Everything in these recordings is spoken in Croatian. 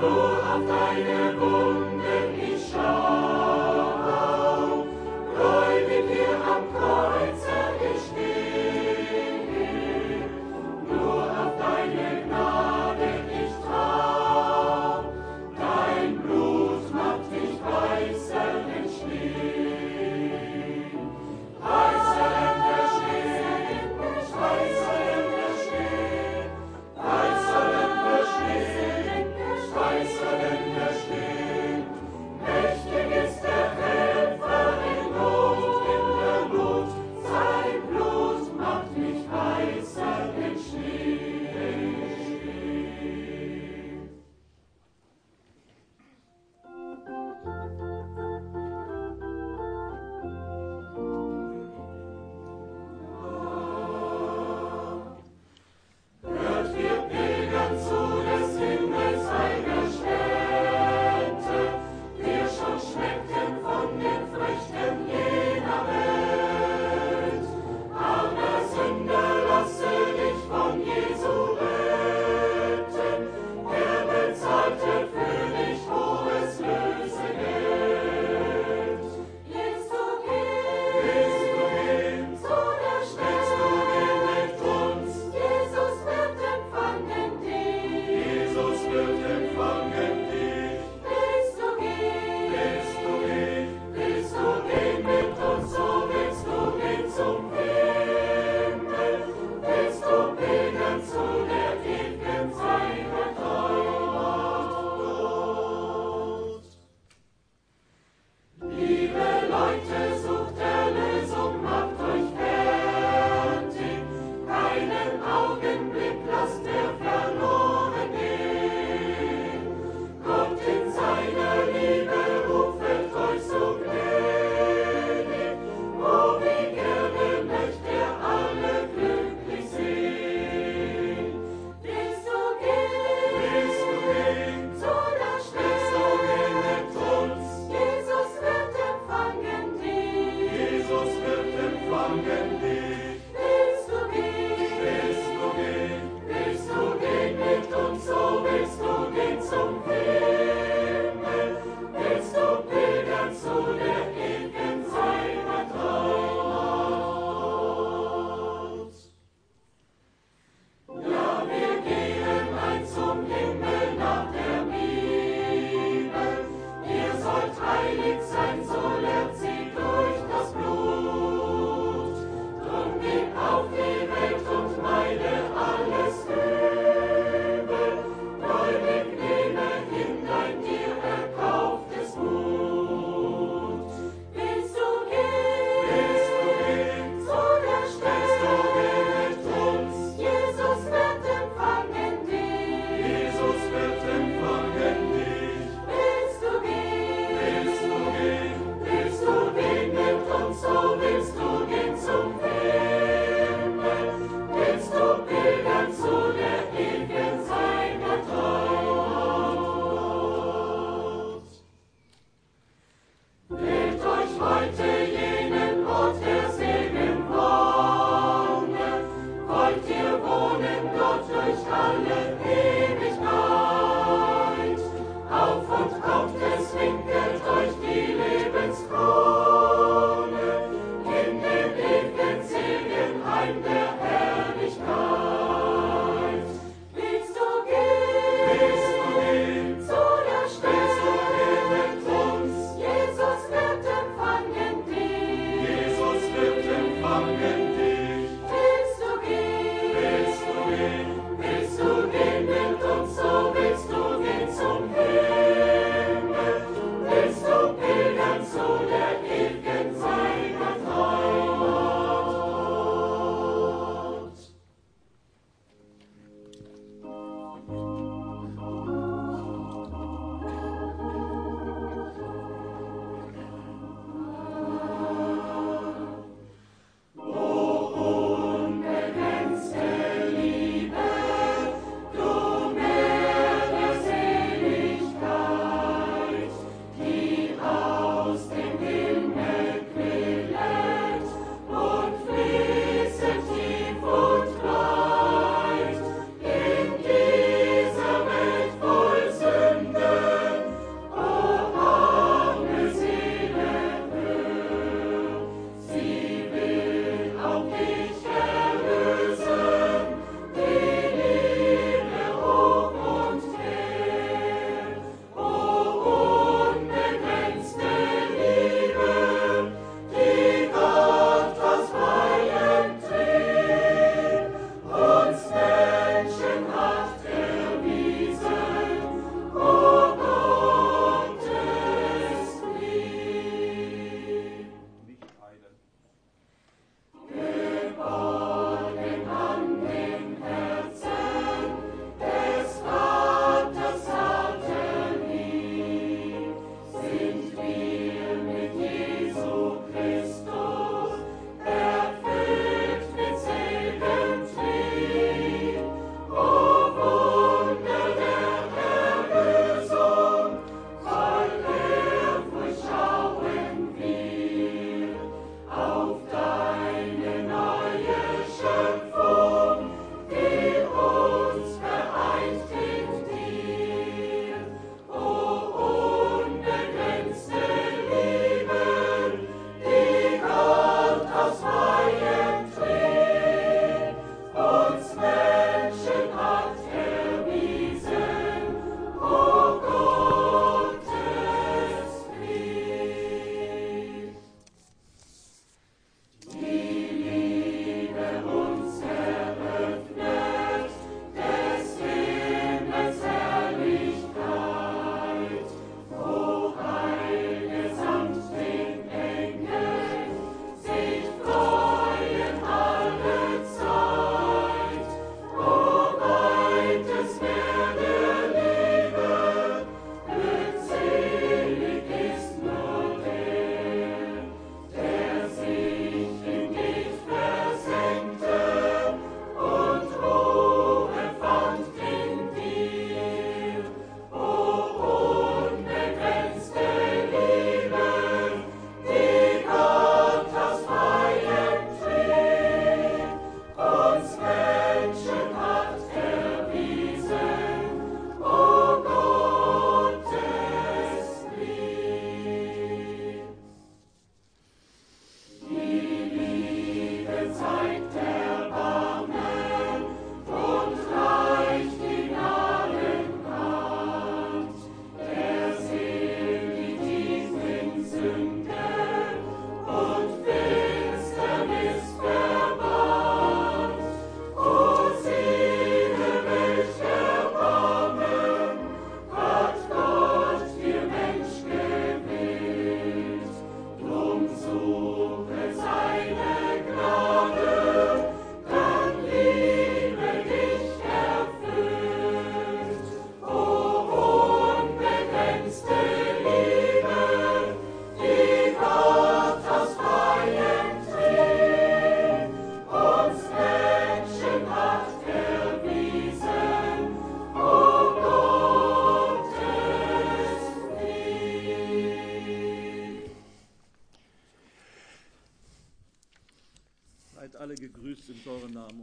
Nur auf deine Wunden ich schau, gläubig hier am Kreuze ich steh. Nur auf deine Gnade ich trau, dein Blut macht dich weißer denn Schnee. Weißer denn der Schnee, weißer denn der Schnee, weißer denn der Schnee, weißer denn der Schnee. Mächtig ist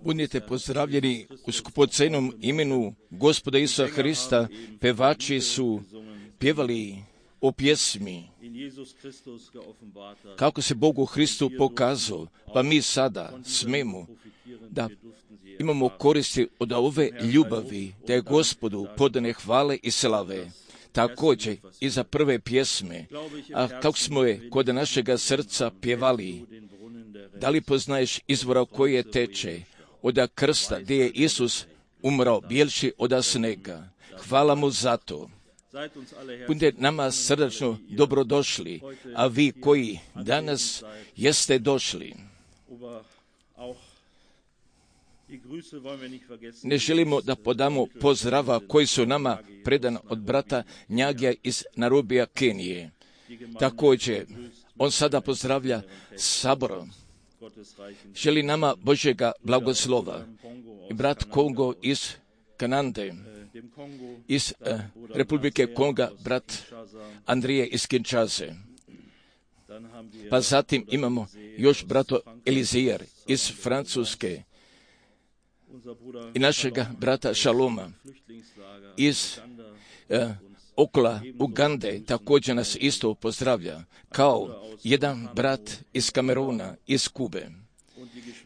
Budite pozdravljeni u skupocenom imenu Gospoda Isusa Hrista. Pevači su pjevali o pjesmi kako se Bogu Hristu pokazao, pa mi sada smemo da imamo koristi od ove ljubavi, da je Gospodu podane hvale i slave. Također i za prve pjesme, a kako smo je kod našega srca pjevali, da li poznaješ izvora koje teče, od krsta gdje je Isus umrao, bijelši od snega. Hvala mu za to. Budite nama srdačno dobrodošli, a vi koji danas jeste došli, ne želimo da podamo pozdrava koji su nama predan od brata Njagija iz Narobija, Kenije. Također, on sada pozdravlja sabor. Želi nama Božjega blagoslova. I brat Kongo iz Kanade, iz Republike Konga, brat Andrije iz Kinshase. Pa zatim imamo još brato Elizijer iz Francuske i našega brata Šaloma iz okolo Ugande, također nas isto pozdravlja, kao jedan brat iz Kameruna, iz Kube.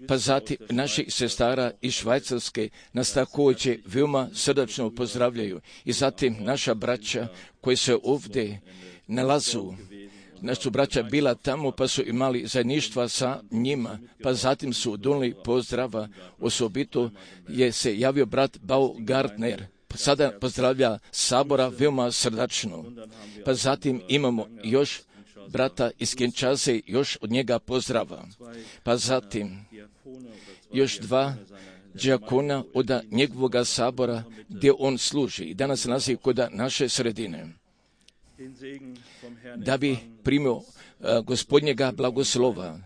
Pa zatim naših sestara iz Švajcarske nas također veoma srdačno pozdravljaju. I zatim naša braća koji se ovdje nalazu, naša braća bila tamo pa su imali zajedništva sa njima, pa zatim su donijeli pozdrava, osobito je se javio brat Baumgartner, sada pozdravlja sabora veoma srdačno. Pa zatim imamo još brata iz Kinshase, još od njega pozdrava. Pa zatim još dva džakona od njegovoga sabora gdje on služi i danas nalazi kod naše sredine. Da bi primio Gospodnjega blagoslova.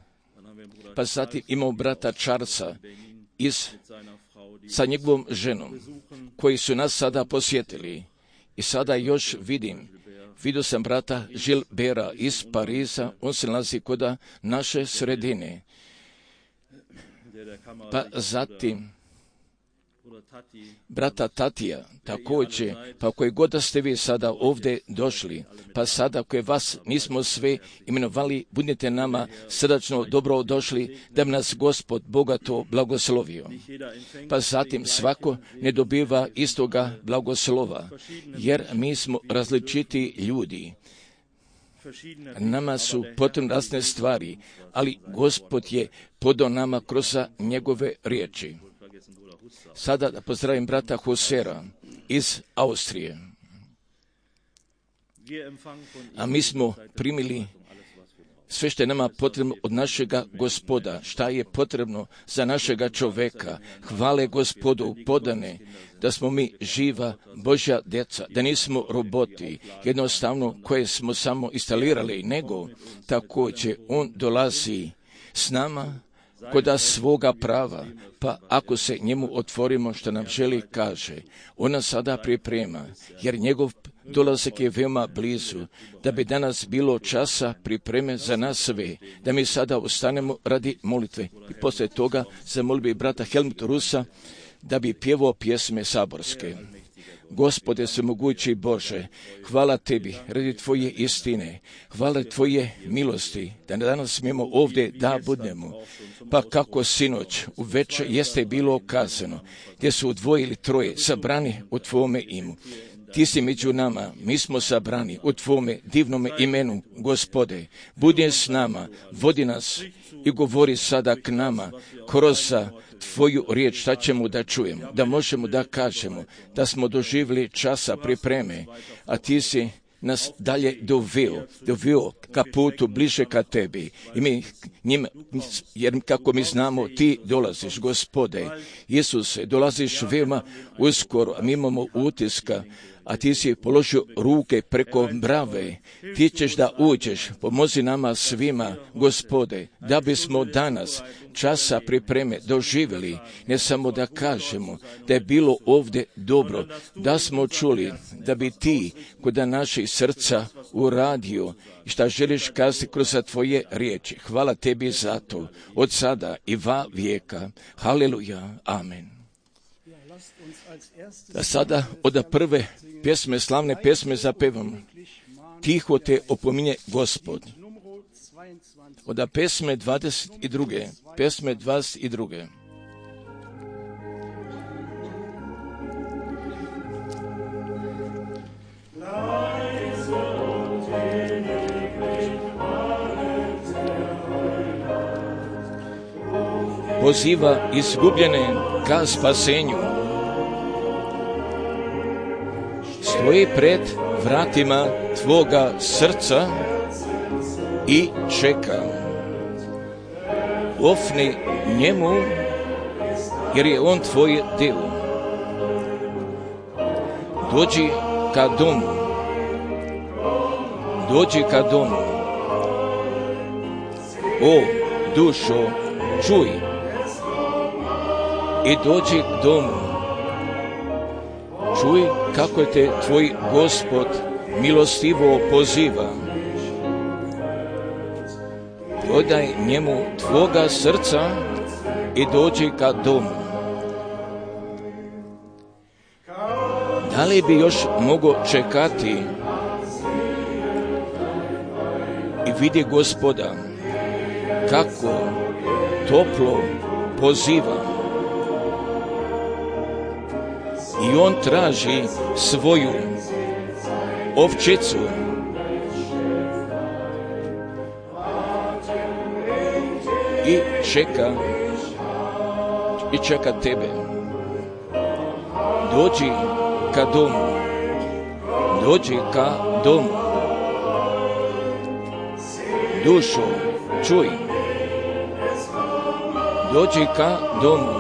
Pa zatim imamo brata Charlesa sa njegovom ženom, koji su nas sada posjetili. I sada još vidio sam brata Gilbera iz Pariza, on se nalazi kod naše sredine. Pa zatim brata Tatija, također, pa koji god da ste vi sada ovdje došli, pa sada koje vas nismo sve imenovali, budite nama srdačno dobro došli, da bi nas Gospod bogato blagoslovio. Pa zatim svako ne dobiva istoga blagoslova, jer mi smo različiti ljudi. Nama su potrebne razne stvari, ali Gospod je podao nama kroz njegove riječi. Sada da pozdravim brata Hosera iz Austrije. A mi smo primili sve što je nama potrebno od našega Gospoda, šta je potrebno za našega čoveka. Hvale Gospodu podane da smo mi živa Božja djeca, da nismo roboti, jednostavno koje smo samo instalirali, nego također on dolazi s nama kod svoga prava, pa ako se njemu otvorimo što nam želi kaže, on nas sada priprema, jer njegov dolazak je veoma blizu, da bi danas bilo časa pripreme za nas sve, da mi sada ostanemo radi molitve. I poslije toga zamolio bi brata Helmuta Rusa da bi pjevao pjesme saborske. Gospode svemogući Bože, hvala Tebi radi Tvoje istine, hvala Tvoje milosti, da danas smijemo ovdje da budemo. Pa kako sinoć u večer jeste bilo kazano, gdje su dvoje ili troje sabrani u Tvome imu. Ti si među nama, mi smo sabrani u Tvome divnome imenu, Gospode. Budi s nama, vodi nas i govori sada k nama kroz Tvoju riječ, šta ćemo da čujemo, da možemo da kažemo da smo doživjeli časa pripreme, a Ti si nas dalje doveo ka putu bliže ka Tebi. I mi njim, jer kako mi znamo, Ti dolaziš, Gospode. Isuse, dolaziš veoma uskoro, a mi imamo utiska, a ti si položio ruke preko brave, ti ćeš da uđeš, pomozi nama svima, Gospode, da bismo danas časa pripreme doživjeli, ne samo da kažemo da je bilo ovdje dobro, da smo čuli da bi ti kod naših srca uradio i šta želiš kazati kroz tvoje riječi. Hvala tebi za to, od sada i va vijeka. Haleluja, amen. Da sada od prve pjesme, slavne pjesme zapevamo. Tiho te opominje Gospod. Od pjesme 22. Pjesme 22. Poziva izgubljene ka spasenju. Stoji pred vratima tvoga srca i čeka. Ofni njemu, jer je on tvoj delo. Dođi ka domu. Dođi ka domu. O, dušo, čuj i dođi k domu. Čuj kako te tvoj Gospod milostivo poziva. Prodaj njemu tvoga srca i dođi ka domu. Da li bi još mogo čekati i vidi Gospoda kako toplo poziva. I on traži svoju ovčicu. I čeka tebe. Dođi ka domu. Dođi ka domu. Dušo, čuj. Dođi ka domu.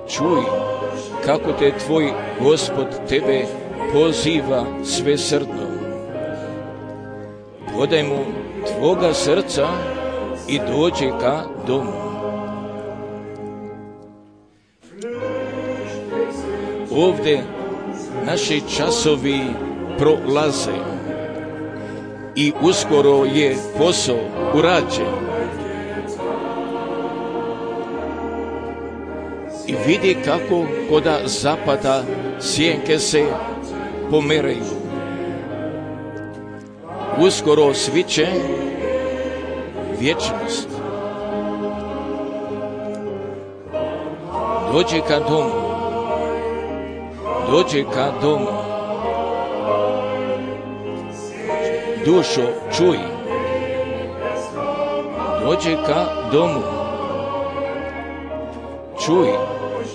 Čuj kako te tvoj Gospod tebe poziva svesrdno. Podaj mu tvoga srca i dođi ka domu. Ovdje naši časovi prolaze i uskoro je posao urađen. I vidi kako koda zapada sjenke se pomeraju. Uskoro sviće vječnost. Dođi ka domu. Dođi ka domu. Dušo, čuj. Dođi ka domu. Čuj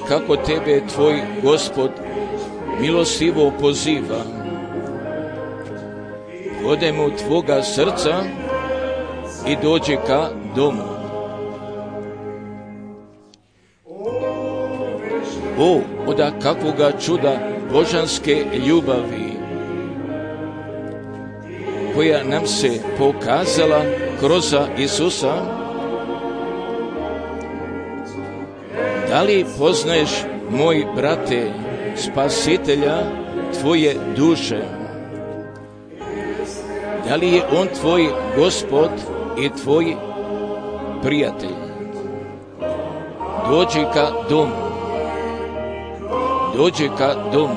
kako tebe tvoj Gospod milostivo poziva. Podaj mu tvoga srca i dođi ka domu. O, oda kakvoga čuda božanske ljubavi, koja nam se pokazala kroz Isusa. Da li poznaješ, moj brate, spasitelja tvoje duše? Da li je on tvoj Gospod i tvoj prijatelj? Dođi ka domu. Dođi ka domu.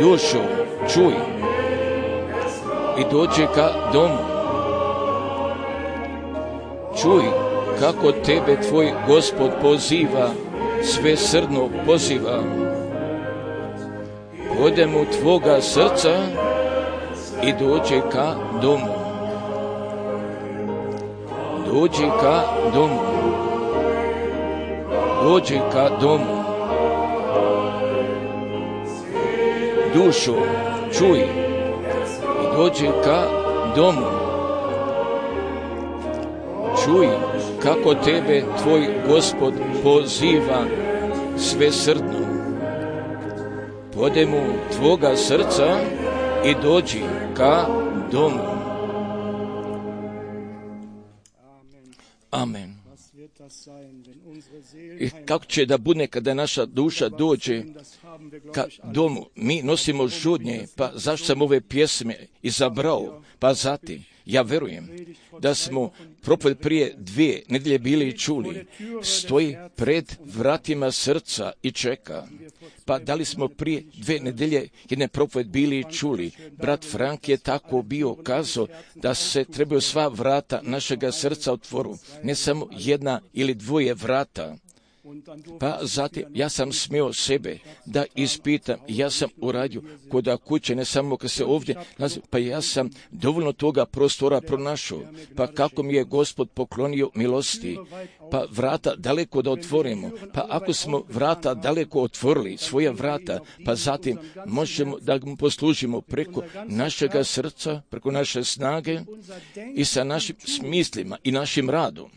Dušo, čuj i dođi ka domu. Čuj kako tebe tvoj Gospod poziva, svesrdno poziva. Podaj mu tvoga srca i dođi ka domu. Dođi ka domu. Dođi ka domu. Dušo, čuj i dođi ka domu. Čuj kako tebe tvoj Gospod poziva svesrdno. odem u tvoga srca i dođi ka domu. Amen. I kako će da bude kada naša duša dođe ka domu? Mi nosimo žudnje, pa zašto sam ove pjesme izabrao? Pa zatim, ja verujem da smo propoved prije 2 nedelje bili čuli, stoji pred vratima srca i čeka. Pa da li smo prije 2 nedelje jedne propoved bili čuli? Brat Frank je tako bio kazao da se trebaju sva vrata našega srca otvoru, ne samo 1 ili 2 vrata. Pa zatim ja sam smio sebe da ispitam, ja sam uradio kod kuće, ne samo kad se ovdje nalazi, pa ja sam dovoljno toga prostora pronašao, pa kako mi je Gospod poklonio milosti, pa vrata daleko da otvorimo, pa ako smo vrata daleko otvorili, svoja vrata, pa zatim možemo da mu poslužimo preko našega srca, preko naše snage i sa našim smislima i našim radom.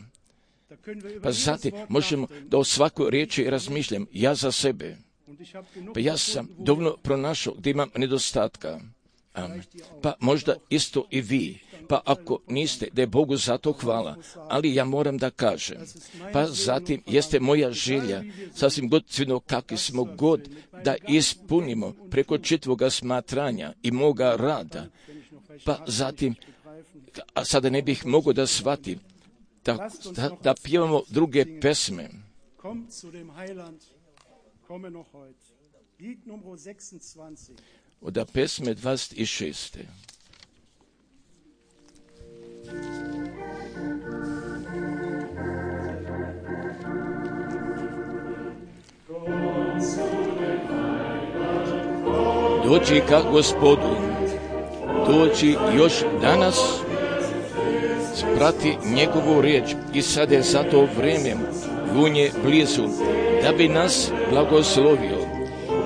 Pa zatim možemo da o svakoj riječi razmišljam, ja za sebe. Pa ja sam dovoljno pronašao gdje imam nedostatka. Amen. Pa možda isto i vi. Pa ako niste, da je Bogu za to hvala. Ali ja moram da kažem. Pa zatim jeste moja želja, sasvim god cvino kakvi smo god, da ispunimo preko čitvoga smatranja i moga rada. Pa zatim, a sada ne bih mogao da shvatim, da pjevamo druge pesme. Od pesme 26. Dođi ka Gospodu, dođi još danas, sprati njegovu riječ i sad je za to vrijeme vunje blizu, da bi nas blagoslovio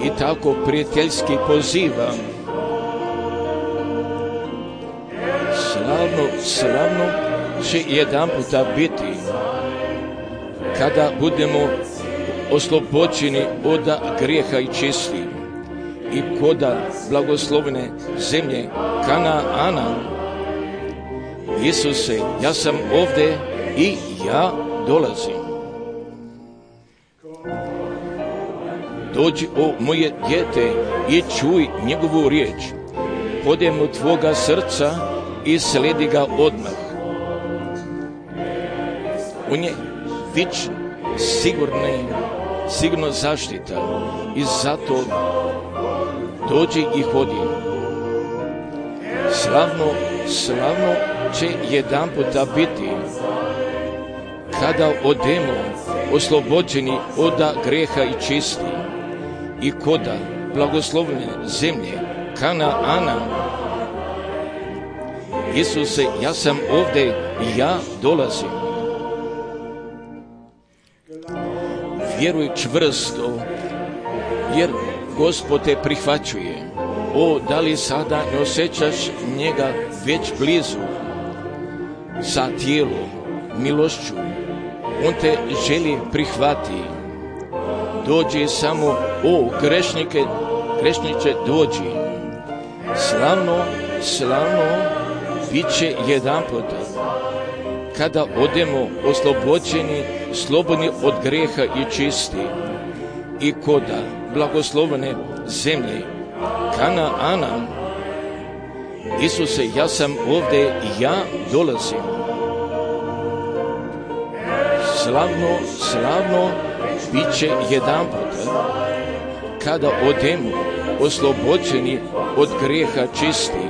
i tako prijateljski poziva. Slavno će jedan puta biti kada budemo oslobođeni od grijeha i čisti i koda blagoslovene zemlje Kanaana. Isuse, ja sam ovdje i ja dolazim. Dođi, o moje dijete, i čuj njegovu riječ. Podem u tvoga srca i sledi ga odmah. On je vičan, sigurno zaštita i zato dođi i hodi. Slavno će jedan puta biti kada odemo oslobođeni od greha i čisti i koda blagoslovene zemlje Kanaana. Isuse, ja sam ovdje i ja dolazim. Vjeruj čvrsto, jer Gospod te prihvaćuje. O, da li sada ne osjećaš njega već blizu, sa tijelom, milošću? On te želi prihvati. Dođi samo, o grešniče, dođi. Slavno bit će jedan puta kada odemo oslobođeni, slobodni od greha i čisti i koda blagoslovene zemlje Kanaana. Isuse, ja sam ovdje i ja dolazim. Slavno bit će jedan puta kada odemo oslobođeni od grijeha čisti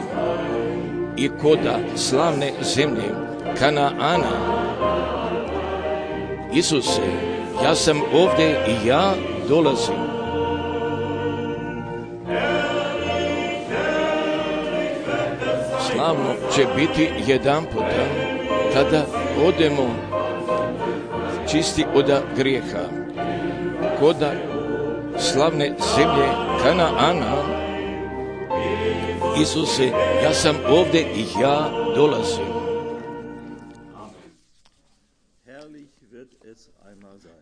i koda slavne zemlje Kanaana. Isuse, ja sam ovdje i ja dolazim. Slavno će biti jedan puta kada odemo čisti od grijeha, koda slavne zemlje Kanaana. Isuse, ja sam ovdje i ja dolazim.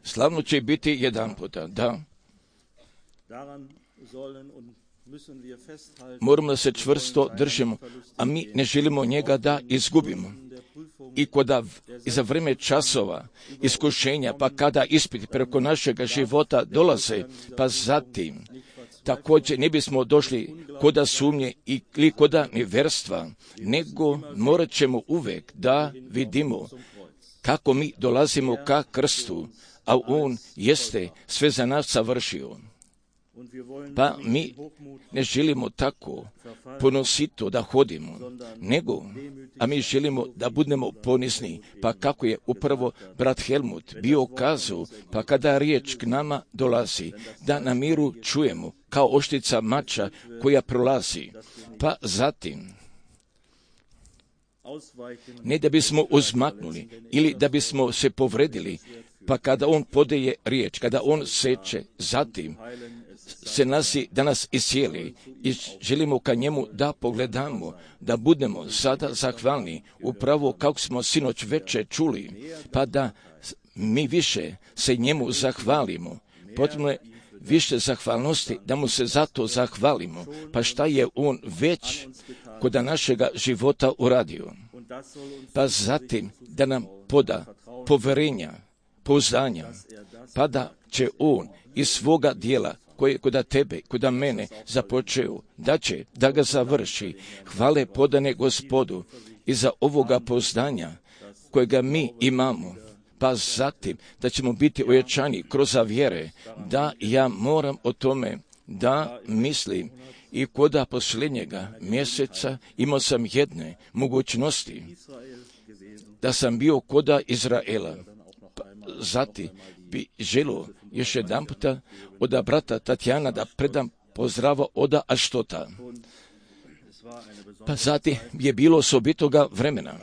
Slavno će biti jedan puta, da. Moramo da se čvrsto držimo, a mi ne želimo njega da izgubimo. I za vrijeme časova iskušenja, pa kada ispiti preko našega života dolaze, pa zatim također ne bismo došli koda sumnje ili koda neverstva, nego morat ćemo uvek da vidimo kako mi dolazimo ka krstu, a on jeste sve za nas savršio. Pa mi ne želimo tako ponosito da hodimo, a mi želimo da budemo ponisni, pa kako je upravo brat Helmut bio kazao, pa kada riječ k nama dolazi, da na miru čujemo kao oštrica mača koja prolazi, pa zatim ne da bismo uzmaknuli ili da bismo se povredili, pa kada on podaje riječ, kada on seče, zatim se nasi da nas iscijeli i želimo ka njemu da pogledamo, da budemo sada zahvalni, upravo kako smo sinoć veče čuli, pa da mi više se njemu zahvalimo. Potrebno je više zahvalnosti, da mu se zato zahvalimo, pa šta je on već kod našega života uradio. Pa zatim da nam poda poverenja, pouzdanja, pa da će on iz svoga dijela koje je kod tebe, kod mene započeo, da će da ga završi. Hvale podane Gospodu i za ovoga pouzdanja kojega mi imamo. Pa zatim da ćemo biti ojačani kroz vjere, da ja moram o tome da mislim. I koda posljednjega mjeseca imao sam jedne mogućnosti da sam bio koda Izraela. Zatim bi želio još jedan puta od brata Tatjana da predam pozdrava od Aštota. Pa zatim je bilo osobitoga vremena.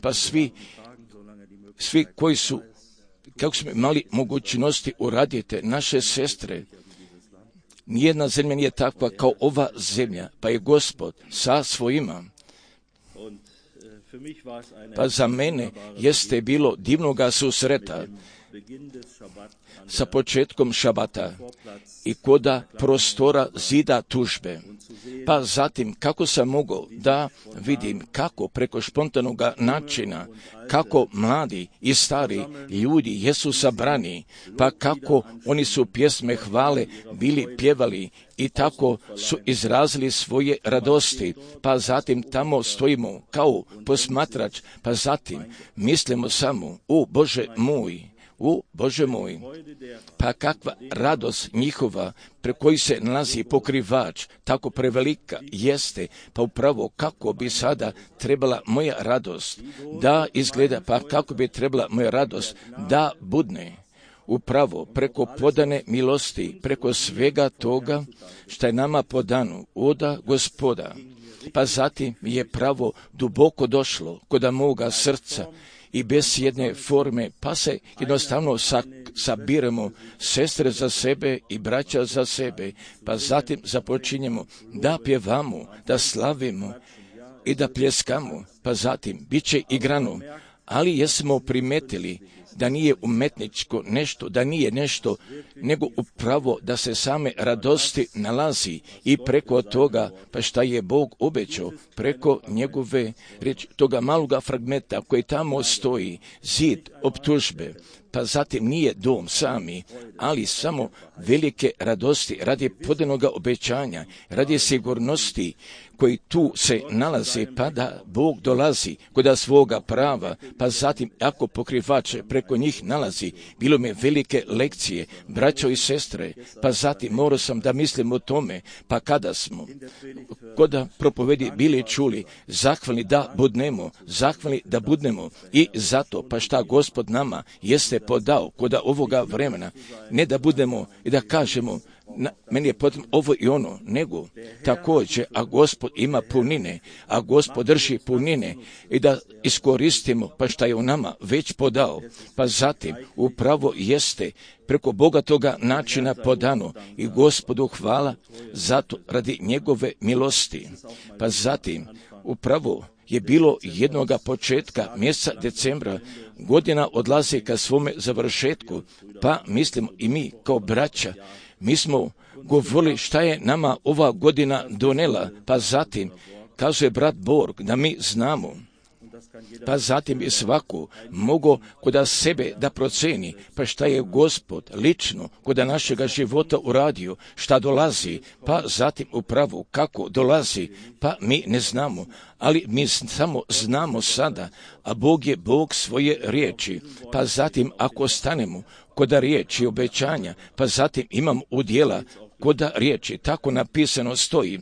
Pa svi koji su, kako smo imali mogućnosti uraditi, naše sestre, nijedna zemlja nije takva kao ova zemlja, pa je Gospod sa svojima. Pa za mene jeste bilo divnoga susreta sa početkom šabata i koda prostora zida tužbe. Pa zatim kako sam mogao da vidim kako preko spontanog načina, kako mladi i stari ljudi jesu sabrani, pa kako oni su pjesme hvale bili pjevali i tako su izrazili svoje radosti, pa zatim tamo stojimo kao posmatrač, pa zatim mislimo samo, Bože moj, pa kakva radost njihova pre koji se nalazi pokrivač, tako prevelika jeste, pa upravo kako bi sada trebala moja radost da izgleda, pa kako bi trebala moja radost da budne. Upravo preko podane milosti, preko svega toga što je nama podano od Gospoda. Pa zatim je pravo duboko došlo kod moga srca i bez jedne forme, pa se jednostavno sabiramo sestre za sebe i braća za sebe, pa zatim započinjemo da pjevamo, da slavimo i da pljeskamo, pa zatim bit će igrano, ali jesmo primetili da nije umetničko nešto, da nije nešto, nego upravo da se same radosti nalazi i preko toga, pa šta je Bog obećao, preko njegove riječi, toga maloga fragmenta koji tamo stoji, zid optužbe, pa zatim nije dom sami, ali samo velike radosti radi podanoga obećanja, radi sigurnosti koji tu se nalaze, pa da Bog dolazi kod svoga prava, pa zatim ako pokrivač preko njih nalazi, bilo mi velike lekcije, braćo i sestre, pa zatim morao sam da mislim o tome, pa kada smo kod propovedi bili čuli, zahvalni da budnemo i zato, pa šta Gospod nama jeste podao kod ovoga vremena, ne da budemo i da kažemo, meni je potrebno ovo i ono, nego također, a Gospod ima punine, a Gospod drži punine i da iskoristimo pa šta je u nama već podao, pa zatim upravo jeste preko bogatoga načina podano i Gospodu hvala zato radi njegove milosti. Pa zatim upravo je bilo jednoga početka mjeseca decembra, godina odlazi ka svome završetku, pa mislimo i mi kao braća mi smo govorili šta je nama ova godina donela, pa zatim kaže brat Borg da mi znamo, pa zatim i svako mogo kod sebe da proceni, pa šta je Gospod lično kod našega života uradio, šta dolazi, pa zatim upravo kako dolazi, pa mi ne znamo, ali mi samo znamo sada, a Bog je Bog svoje riječi, pa zatim ako stanemo kod riječi obećanja, pa zatim imam udjela kod riječi, tako napisano stoji,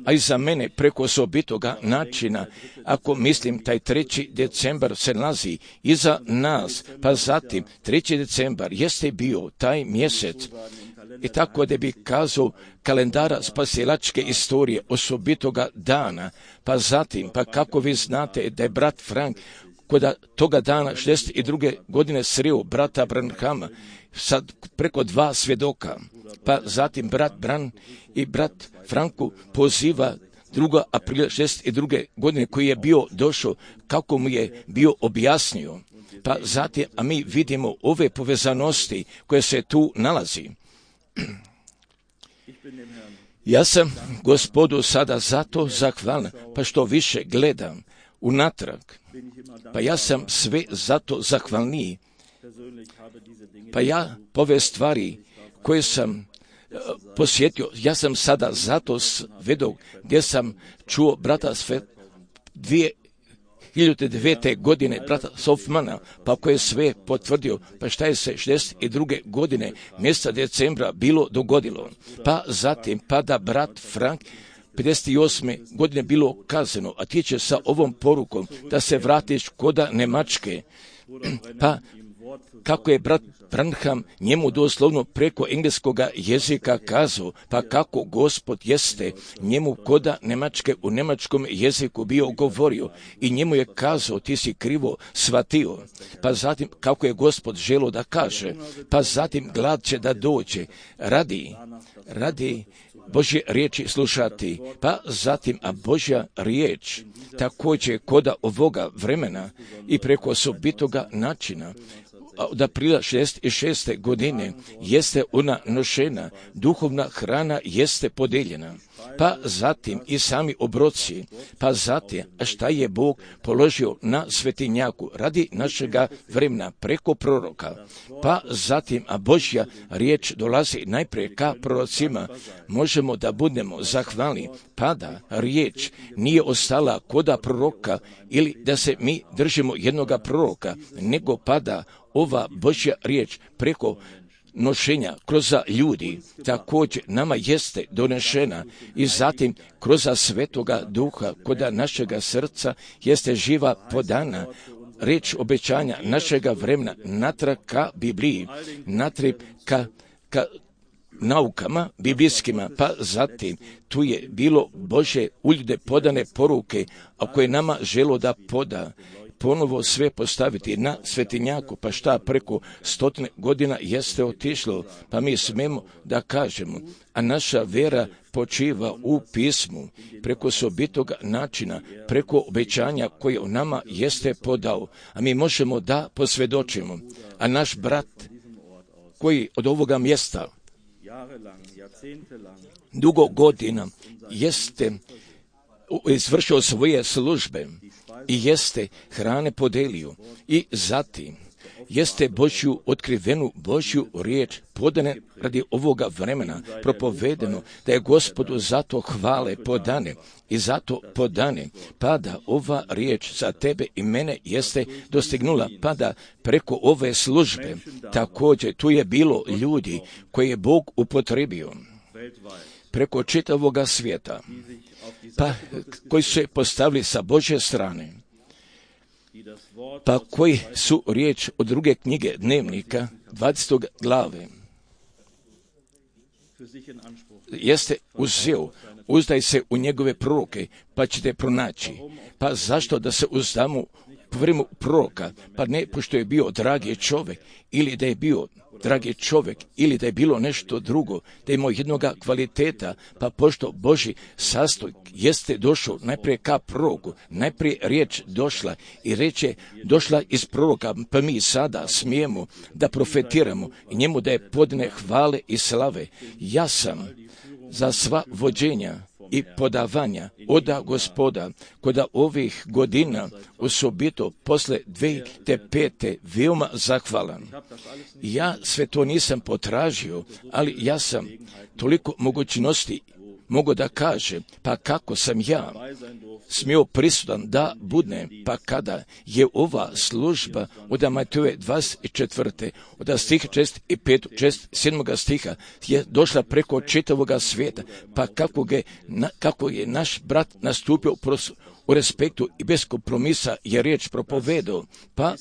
a i za mene preko osobitoga načina, ako mislim taj 3. decembar se nalazi iza nas, pa zatim 3. decembar jeste bio taj mjesec, i tako da bi kazao kalendara spasilačke istorije osobitoga dana, pa zatim, pa kako vi znate da je brat Frank kod toga dana 62. godine sreo brata Branhama, sad preko 2 svjedoka, pa zatim brat Bran i brat Franku poziva 2. aprila 62. godine koji je bio došao, kako mu je bio objasnio, pa zatim, a mi vidimo ove povezanosti koje se tu nalazi. Ja sam Gospodu sada zato zahvalan, pa što više gledam unatrag, pa ja sam sve zato zahvalniji, pa ja ove stvari koje sam posjetio, ja sam sada zato svedok gdje sam čuo brata sve 2009. godine brata Sofmana, pa koji je sve potvrdio, pa šta je se 62. godine mjeseca decembra bilo dogodilo, pa zatim pa da brat Frank 58. godine bilo kazano, a ti će sa ovom porukom da se vratiš koda Njemačke, pa kako je brat Branham njemu doslovno preko engleskoga jezika kazao, pa kako Gospod jeste njemu koda Njemačke u njemačkom jeziku bio govorio i njemu je kazao ti si krivo shvatio, pa zatim kako je Gospod želio da kaže, pa zatim glad će da dođe radi Božje riječi slušati, pa zatim, a Božja riječ također koda ovoga vremena i preko osobitoga načina, od aprila 66. godine jeste ona nošena, duhovna hrana jeste podeljena, pa zatim i sami obroci, pa zatim, a šta je Bog položio na svetinjaku radi našega vremena preko proroka, pa zatim, a Božja riječ dolazi najprije ka prorocima, možemo da budemo zahvalni, pa da riječ nije ostala koda proroka ili da se mi držimo jednoga proroka, nego pada ova Božja riječ preko nošenja kroz ljudi također nama jeste donešena i zatim kroz Svetoga Duha koda našega srca jeste živa podana riječ obećanja našega vremena natrag ka Bibliji, natrag ka naukama biblijskima, pa zatim tu je bilo Bože u ljude podane poruke, a koje nama želo da poda ponovo sve postaviti na svetinjaku, pa šta preko 100 godina jeste otišlo, pa mi smemo da kažemo, a naša vera počiva u pismu, preko osobitoga načina, preko obećanja koje u nama jeste podao, a mi možemo da posvjedočimo, a naš brat koji od ovoga mjesta dugo godina jeste izvršio svoje službe i jeste hrane podelio i zatim jeste Božju otkrivenu Božju riječ podane radi ovoga vremena, propovedeno da je Gospodu zato hvale podane i zato podane, pa da ova riječ za tebe i mene jeste dostignula, pa da preko ove službe također tu je bilo ljudi koje je Bog upotrebio preko čitavoga svijeta, pa koji su se postavili sa Božje strane, pa koji su riječ od druge knjige Dnevnika 20. glave jeste uzeo, uzdaj se u njegove proroke, pa ćete pronaći. Pa zašto da se uzdamo po vremenu proroka, pa ne pošto je bio dragi čovjek, ili da je bio dragi čovjek, ili da je bilo nešto drugo, da je imao jednoga kvaliteta, pa pošto Božji sastojk jeste došao najprije ka proroku, najprije riječ došla i reče došla iz proroka, pa mi sada smijemo da profetiramo i njemu da je podne hvale i slave. Ja sam za sva vođenja i podavanja oda Gospoda kod ovih godina, osobito posle 2005. veoma zahvalan. Ja sve to nisam potražio, ali ja sam toliko mogućnosti mogu da kaže, pa kako sam ja smio prisutan da budne, pa kada je ova služba od Matejove 24. od stiha 6 i 5, 7. stiha je došla preko čitavoga svijeta, pa kako je naš brat nastupio u respektu i bez kompromisa je riječ propovedao, pa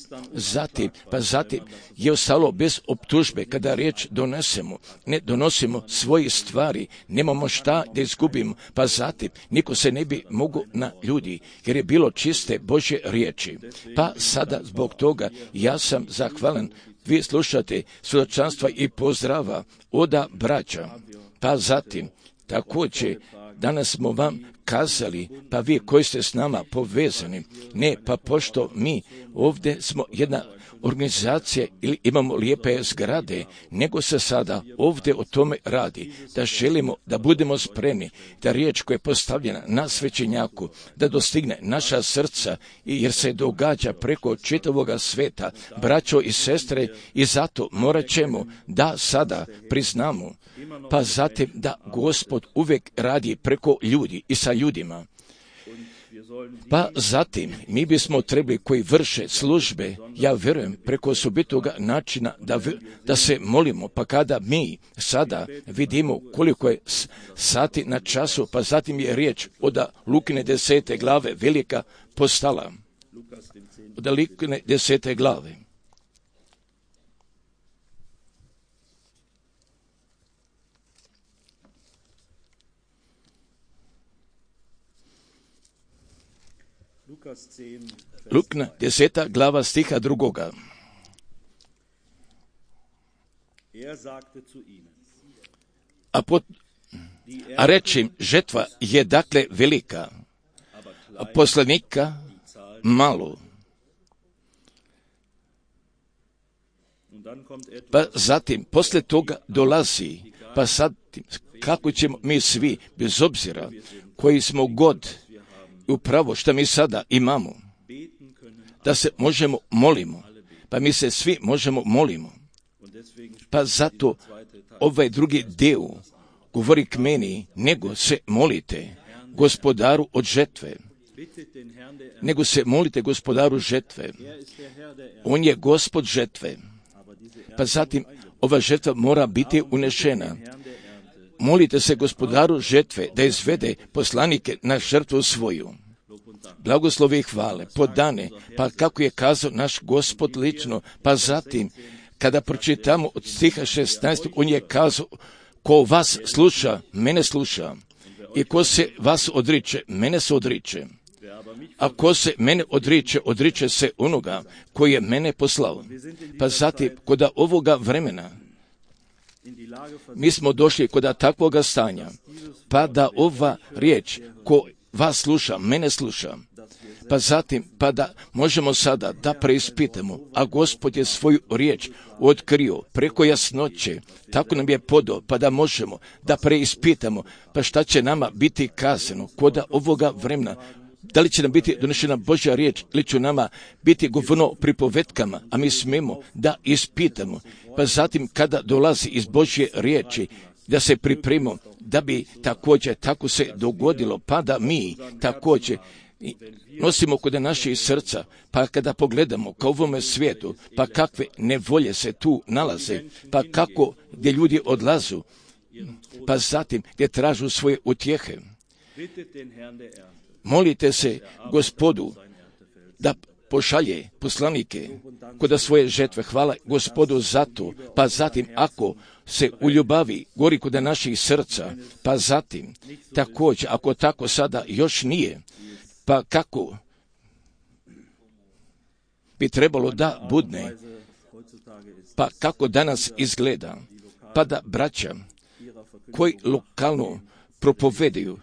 zatim je ostalo bez optužbe kada riječ donesemo, ne donosimo svoje stvari, nemamo šta da izgubimo, pa zatim niko se ne bi mogao na ljudi, jer je bilo čiste Božje riječi. Pa sada zbog toga ja sam zahvalan. Vi slušate svjedočanstva i pozdrava oda braća, pa zatim također danas smo vam kazali, pa vi koji ste s nama povezani, ne, pa pošto mi ovdje smo jedna organizacija ili imamo lijepe zgrade, nego se sada ovdje o tome radi, da želimo da budemo spremni, da riječ koja je postavljena na svećenjaku, da dostigne naša srca, jer se događa preko čitavoga sveta, braćo i sestre, i zato morat ćemo da sada priznamo, pa zatim da Gospod uvijek radi preko ljudi i sa ljudima. Pa zatim mi bismo trebali koji vrše službe, ja vjerujem preko osobitoga načina da se molimo, pa kada mi sada vidimo koliko je sati na času, pa zatim je riječ od Lukine 10. glave velika postala. Od Lukine 10. glave. Lukna 10. glava stiha 2. A reći, žetva je dakle velika, a poslanika malo. Pa zatim, posle toga dolazi, pa sad kako ćemo mi svi, bez obzira koji smo god, upravo što mi sada imamo, da se možemo molimo, pa mi se svi možemo molimo. Pa zato ovaj drugi dio govori k meni, nego se molite Gospodaru od žetve. Nego se molite Gospodaru žetve. On je Gospod žetve. Pa zatim ova žetva mora biti unešena. Molite se Gospodaru žetve da izvede poslanike na žrtvu svoju. Blagoslovi i hvale, podane, pa kako je kazao naš Gospod lično, pa zatim, kada pročitamo od stiha 16, on je kazao, ko vas sluša, mene sluša, i ko se vas odriče, mene se odriče. A ko se mene odriče, odriče se onoga koji je mene poslao. Pa zatim, kod ovoga vremena, mi smo došli kod takvoga stanja, pa da ova riječ, ko vas sluša, mene sluša, pa zatim, pa da možemo sada da preispitamo, a Gospod je svoju riječ otkrio preko jasnoće, tako nam je podao, pa da možemo da preispitamo, pa šta će nama biti kazano kod ovoga vremena, da li će nam biti donešena Božja riječ ili će nama biti govorno pripovetkama, a mi smemo da ispitamo, pa zatim kada dolazi iz Božje riječi, da se pripremimo, da bi također tako se dogodilo, pa da mi također nosimo kod naših srca, pa kada pogledamo ka ovome svijetu, pa kakve nevolje se tu nalaze, pa kako gdje ljudi odlazu, pa zatim gdje tražu svoje utjehe. Molite se Gospodu da pošalje poslanike kod svoje žetve. Hvala Gospodu za to. Pa zatim ako se u ljubavi gori kod naših srca, pa zatim također ako tako sada još nije, pa kako bi trebalo da budne, pa kako danas izgleda, pa da braća koji lokalno propovedaju,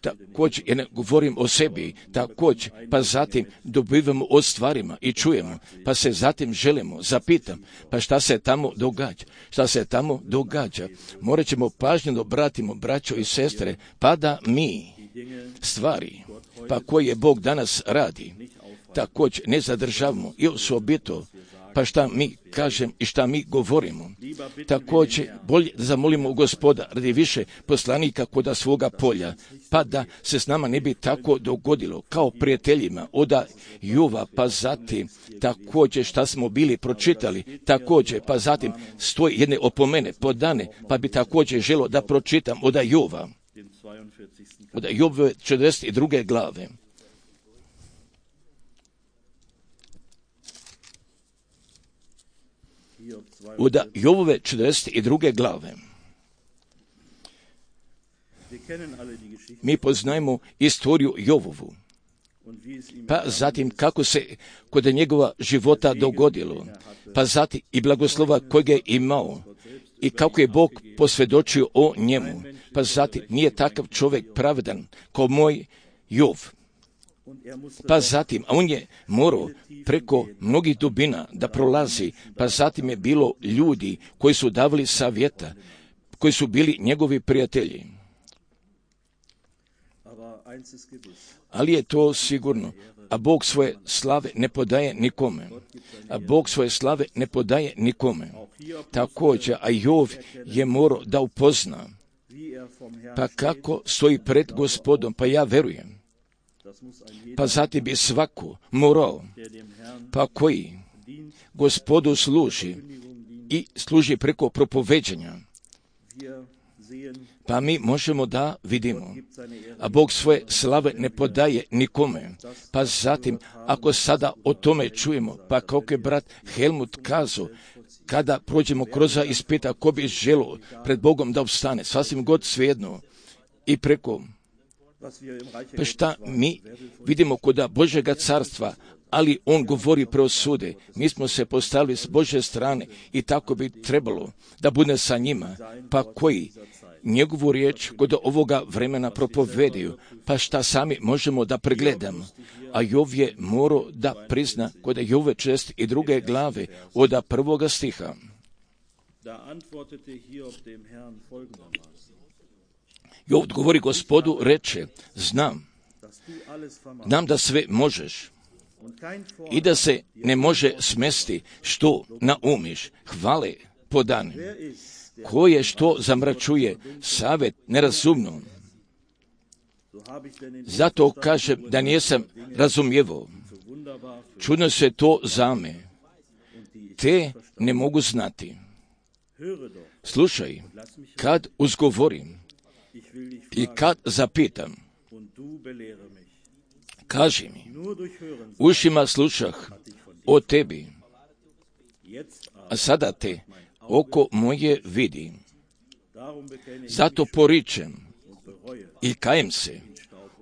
također, ja ne govorim o sebi, također, pa zatim dobivamo o stvarima i čujemo, pa se zatim želimo, zapitam, pa šta se tamo događa, morat ćemo pažnjeno obratimo, braćo i sestre, pa da mi stvari, pa koje Bog danas radi, također ne zadržavamo i osobito, pa šta mi kažem i šta mi govorimo. Također, bolje da zamolimo Gospoda radi više poslanika koda svoga polja, pa da se s nama ne bi tako dogodilo kao prijateljima oda Jova, pa zatim također šta smo bili pročitali, također, pa zatim stoji jedne opomene podane, pa bi također želo da pročitam oda Jova, oda Jovove 42. glave. Od Jovove 42. glave. Mi poznajemo istoriju Jovovu, pa zatim kako se kod njegova života dogodilo, pa zatim i blagoslova kojeg je imao i kako je Bog posvjedočio o njemu, pa zatim nije takav čovjek pravedan kao moj Jov. Pa zatim, a on je morao preko mnogih dubina da prolazi, pa zatim je bilo ljudi koji su davali savjeta, koji su bili njegovi prijatelji. Ali je to sigurno, a Bog svoje slave ne podaje nikome. Također, a Jov je morao da upozna, pa kako stoji pred Gospodom, pa ja verujem. Pa zatim bi svako morao, pa koji Gospodu služi i služi preko propoveđanja, pa mi možemo da vidimo, a Bog svoje slave ne podaje nikome. Pa zatim, ako sada o tome čujemo, pa kako je brat Helmut kazao, kada prođemo kroz ispita, ko bi želio pred Bogom da opstane, sasvim god svejedno, i preko, pa šta mi vidimo kod Božjega carstva, ali on govori preosude. Mi smo se postavili s Božje strane i tako bi trebalo da bude sa njima, pa koji njegovu riječ kod ovoga vremena propovedaju, pa šta sami možemo da pregledamo. A Jov je morao da prizna kod Jove 42. glave od 1. stiha. Jov odgovori Gospodu, reče, znam da sve možeš i da se ne može smesti što naumiš, hvale podane. Ko je što zamračuje savjet nerazumno? Zato kažem da nisam razumijevao. Čudno se to za me, te ne mogu znati. Slušaj, kad uzgovorim i kad zapitam, kaži mi, ušima slušah o tebi, a sada te oko moje vidi. Zato poričem i kajem se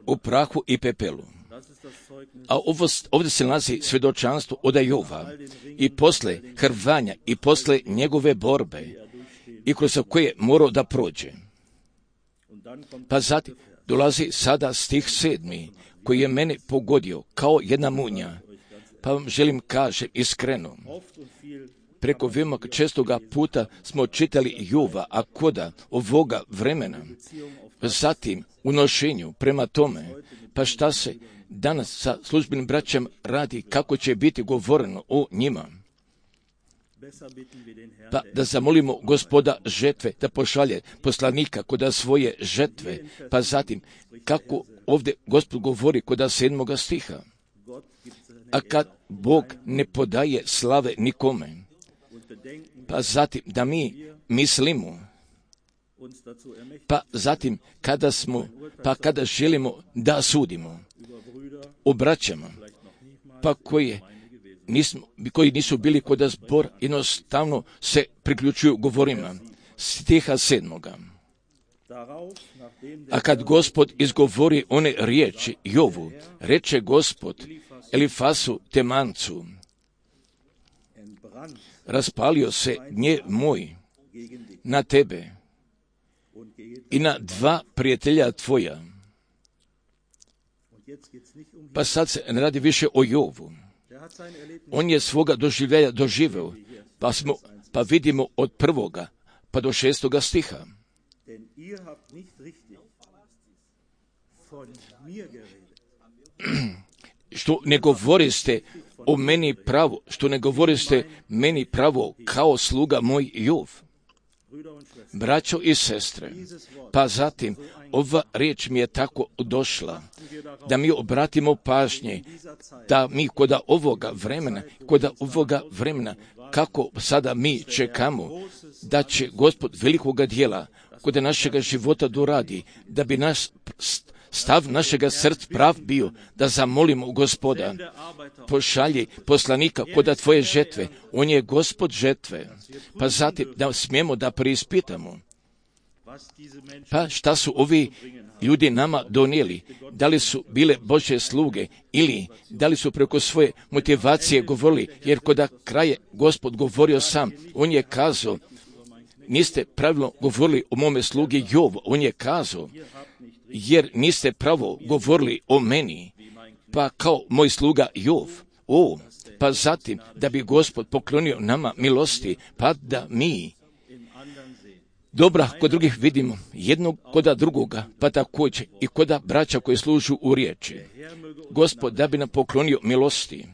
u prahu i pepelu. A ovdje se nalazi svjedočanstvo od Jova i posle hrvanja i posle njegove borbe i kroz koje morao da prođe. Pa zatim dolazi sada stih 7. koji je mene pogodio kao jedna munja. Pa vam želim kažem iskreno, preko veoma čestoga puta smo čitali Jova, a koda ovoga vremena, zatim u nošenju prema tome, pa šta se danas sa službenim braćama radi, kako će biti govoreno o njima. Pa da zamolimo Gospoda žetve da pošalje poslanika kod svoje žetve, pa zatim kako ovdje Gospod govori kod 7. stiha. A kad Bog ne podaje slave nikome, pa zatim da mi mislimo, pa zatim kada želimo da sudimo o braćama, pa koji nisu bili kod zbor, jednostavno se priključuju govorima stiha 7. A kad Gospod izgovori one riječi Jovu, reče Gospod Elifasu Temancu, raspalio se gnjev moj na tebe i na dva prijatelja tvoja. Pa sad se ne radi više o Jovu. On je svoga doživljaja doživeo, pa vidimo od 1. pa do 6. stiha. Što ne govoriste o meni pravo, što ne govoriste meni pravo kao sluga moj Jov. Braćo i sestre, pa zatim ova riječ mi je tako došla, da mi obratimo pažnje, da mi kod ovoga vremena, kako sada mi čekamo, da će Gospod velikoga dijela kod našega života doradi, da bi naš stav našega srca prav bio, da zamolimo Gospoda, pošalji poslanika kod tvoje žetve, on je Gospod žetve, pa zatim da smijemo da preispitamo, pa šta su ovi ljudi nama donijeli, da li su bile Božje sluge ili da li su preko svoje motivacije govorili, jer kod kraja Gospod govorio sam, on je kazao, niste pravilno govorili o mome slugi Jovu, on je kazao, jer niste pravo govorili o meni, pa kao moj sluga Jov. Pa zatim da bi Gospod poklonio nama milosti, pa da mi dobra kod drugih vidimo, jednog kod drugoga, pa također i kod braća koji služu u riječi. Gospod da bi nam poklonio milosti,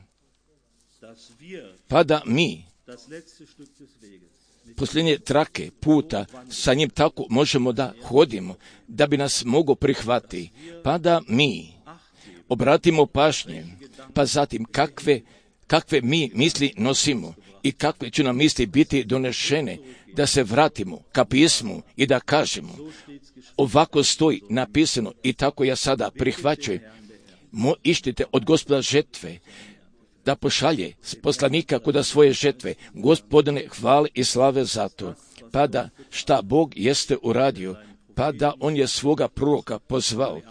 pa da mi posljednje trake puta sa njim tako možemo da hodimo, da bi nas mogo prihvati, pa da mi obratimo pažnje, pa zatim kakve mi misli nosimo i kakve će nam misli biti donešene, da se vratimo ka pismu i da kažemo, ovako stoji napisano i tako ja sada prihvaćujem, ištite od Gospoda žetve, da pošalje poslanika kod svoje žetve. Gospodine, hvale i slave za to. Pa da šta Bog jeste uradio, pa da on je svoga proroka pozvao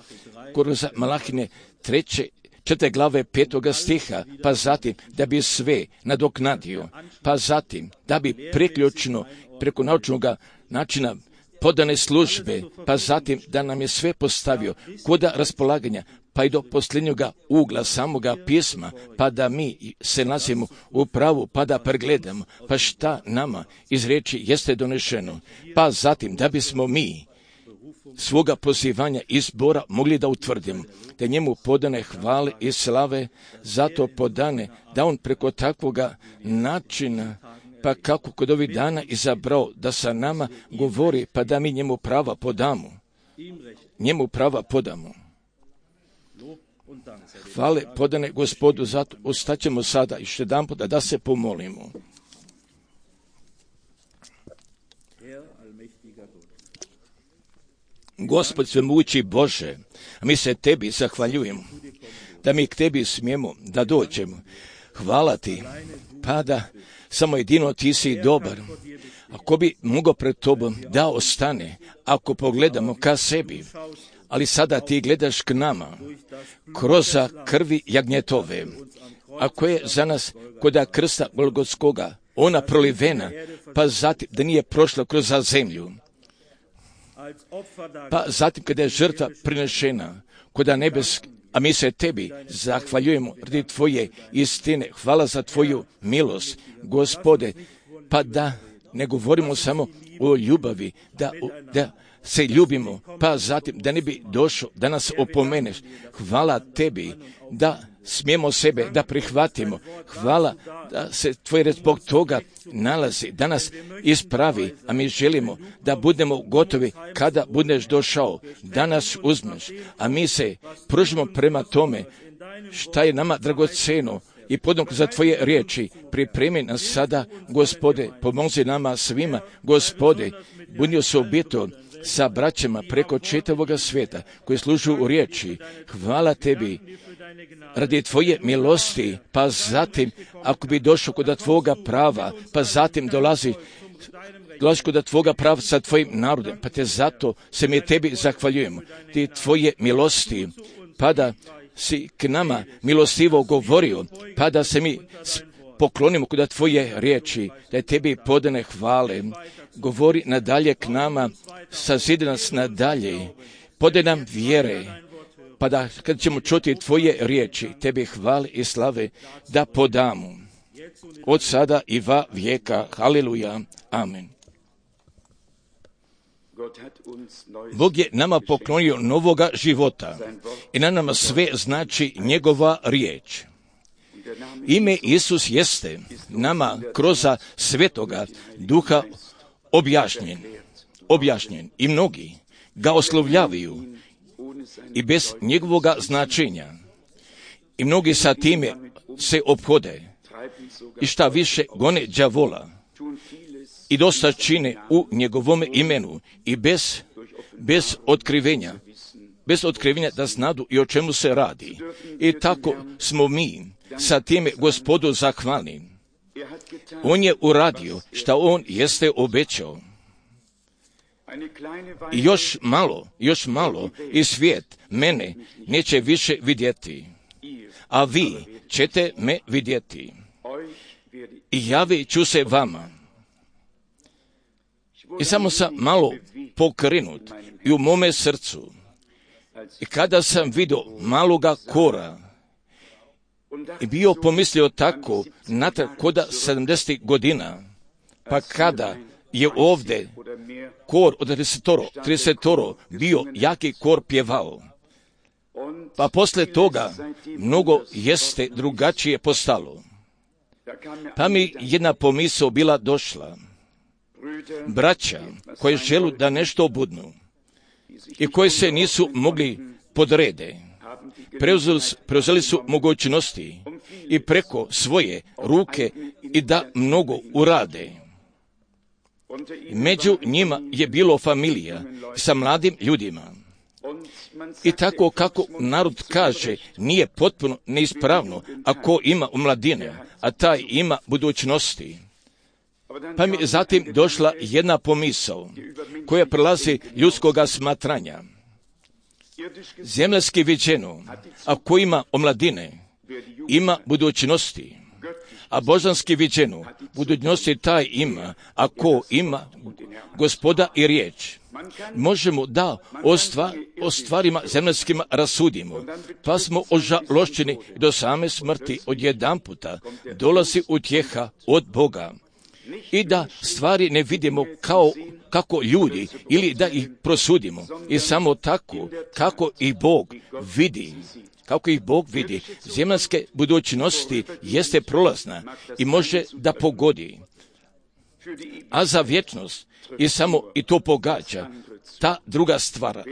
kroz Malahine 4. glave 5. stiha, pa zatim da bi sve nadoknadio, pa zatim da bi priključno preko naučnog načina podane službe, pa zatim da nam je sve postavio kod raspolaganja, pa i do posljednjega ugla samoga pisma, pa da mi se nalazimo u pravu, pa da pregledamo, pa šta nama iz riječi jeste donešeno, pa zatim da bismo mi svoga pozivanja izbora mogli da utvrdimo, da njemu podane hvale i slave, zato podane da on preko takvoga načina, pa kako kod ovih dana izabrao da sa nama govori, pa da mi njemu prava podamo. Hvale podane Gospodu, zato ostaćemo sada još jedanput da se pomolimo. Gospod svemogući Bože, mi se Tebi zahvaljujemo, da mi k Tebi smijemo da dođemo. Hvala Ti, pa da samo jedino Ti si dobar. Ako bi mogao pred Tobom da ostane, ako pogledamo ka sebi, ali sada Ti gledaš k nama, kroz krvi jagnjetove, ako je za nas kod krsta Golgotskoga ona prolivena, pa zatim da nije prošla kroz zemlju, pa zatim kada je žrtva prinešena kod nebesk, a mi se Tebi zahvaljujemo radi Tvoje istine. Hvala za Tvoju milost, Gospode, pa da ne govorimo samo o ljubavi, da se ljubimo, pa zatim da ne bi došao da nas opomeneš. Hvala Tebi da smijemo sebe da prihvatimo. Hvala da se Tvoj red zbog toga nalazi, da nas ispravi, a mi želimo da budemo gotovi kada budeš došao, da nas uzmeš, a mi se pružimo prema tome šta je nama dragoceno i podnog za Tvoje riječi. Pripremi nas sada, Gospode, pomozi nama svima, Gospode, budi se obito sa braćama preko čitavoga svijeta koji služu u riječi. Hvala Tebi radi Tvoje milosti, pa zatim ako bi došao kod Tvoga prava, pa zatim dolazi dolaziš kod Tvoga pravca Tvojim narodom, pa te zato se mi Tebi zahvaljujemo. Ti Tvoje milosti, pa da si k nama milostivo govorio, pa da se mi poklonimo kod Tvoje riječi, da je Tebi podane hvale. Govori nadalje k nama, sazidi nas nadalje, podaj nam vjere, pa da kad ćemo čuti Tvoje riječi, Tebi hvale i slave da podamo. Od sada i va vijeka. Haleluja. Amen. Bog je nama poklonio novoga života i na nama sve znači njegova riječ. Ime Isus jeste nama kroz Svetoga Duha objašnjen i mnogi ga oslovljavaju i bez njegovoga značenja. I mnogi sa time se ophode i šta više gone đavola i dosta čine u njegovom imenu i bez otkrivenja da znadu i o čemu se radi. I tako smo mi sa time Gospodu zahvalni. On je uradio šta on jeste obećao. I još malo i svijet mene neće više vidjeti, a vi ćete me vidjeti. I javit ću se vama. I samo sam malo pokrenut i u mome srcu. I kada sam vidio maloga kora i bio pomislio tako natrag koda 70 godina, pa kada je ovdje kor od 30 bio jaki kor pjevao, pa posle toga mnogo jeste drugačije postalo. Pa mi jedna pomisao bila došla. Braća koji želu da nešto budnu i koji se nisu mogli podrede, preuzeli su mogućnosti i preko svoje ruke i da mnogo urade. Među njima je bilo familija sa mladim ljudima. I tako kako narod kaže, nije potpuno neispravno ako ima omladine, a taj ima budućnosti. Pa mi je zatim došla jedna pomisao koja prelazi ljudskoga smatranja. Zemljanski viđeno, ako ima omladine, ima budućnosti, a božanski viđeno, budućnosti taj ima, ako ima Gospoda i riječ. Možemo da o stvarima zemljskima rasudimo, pa smo ožalošćeni do same smrti odjedanputa dolazi utjeha od Boga. I da stvari ne vidimo kako ljudi ili da ih prosudimo i samo tako kako ih Bog vidi. Kako ih Bog vidi, zemljanske budućnosti jeste prolazna i može da pogodi. A za vječnost i to pogađa ta druga stvar.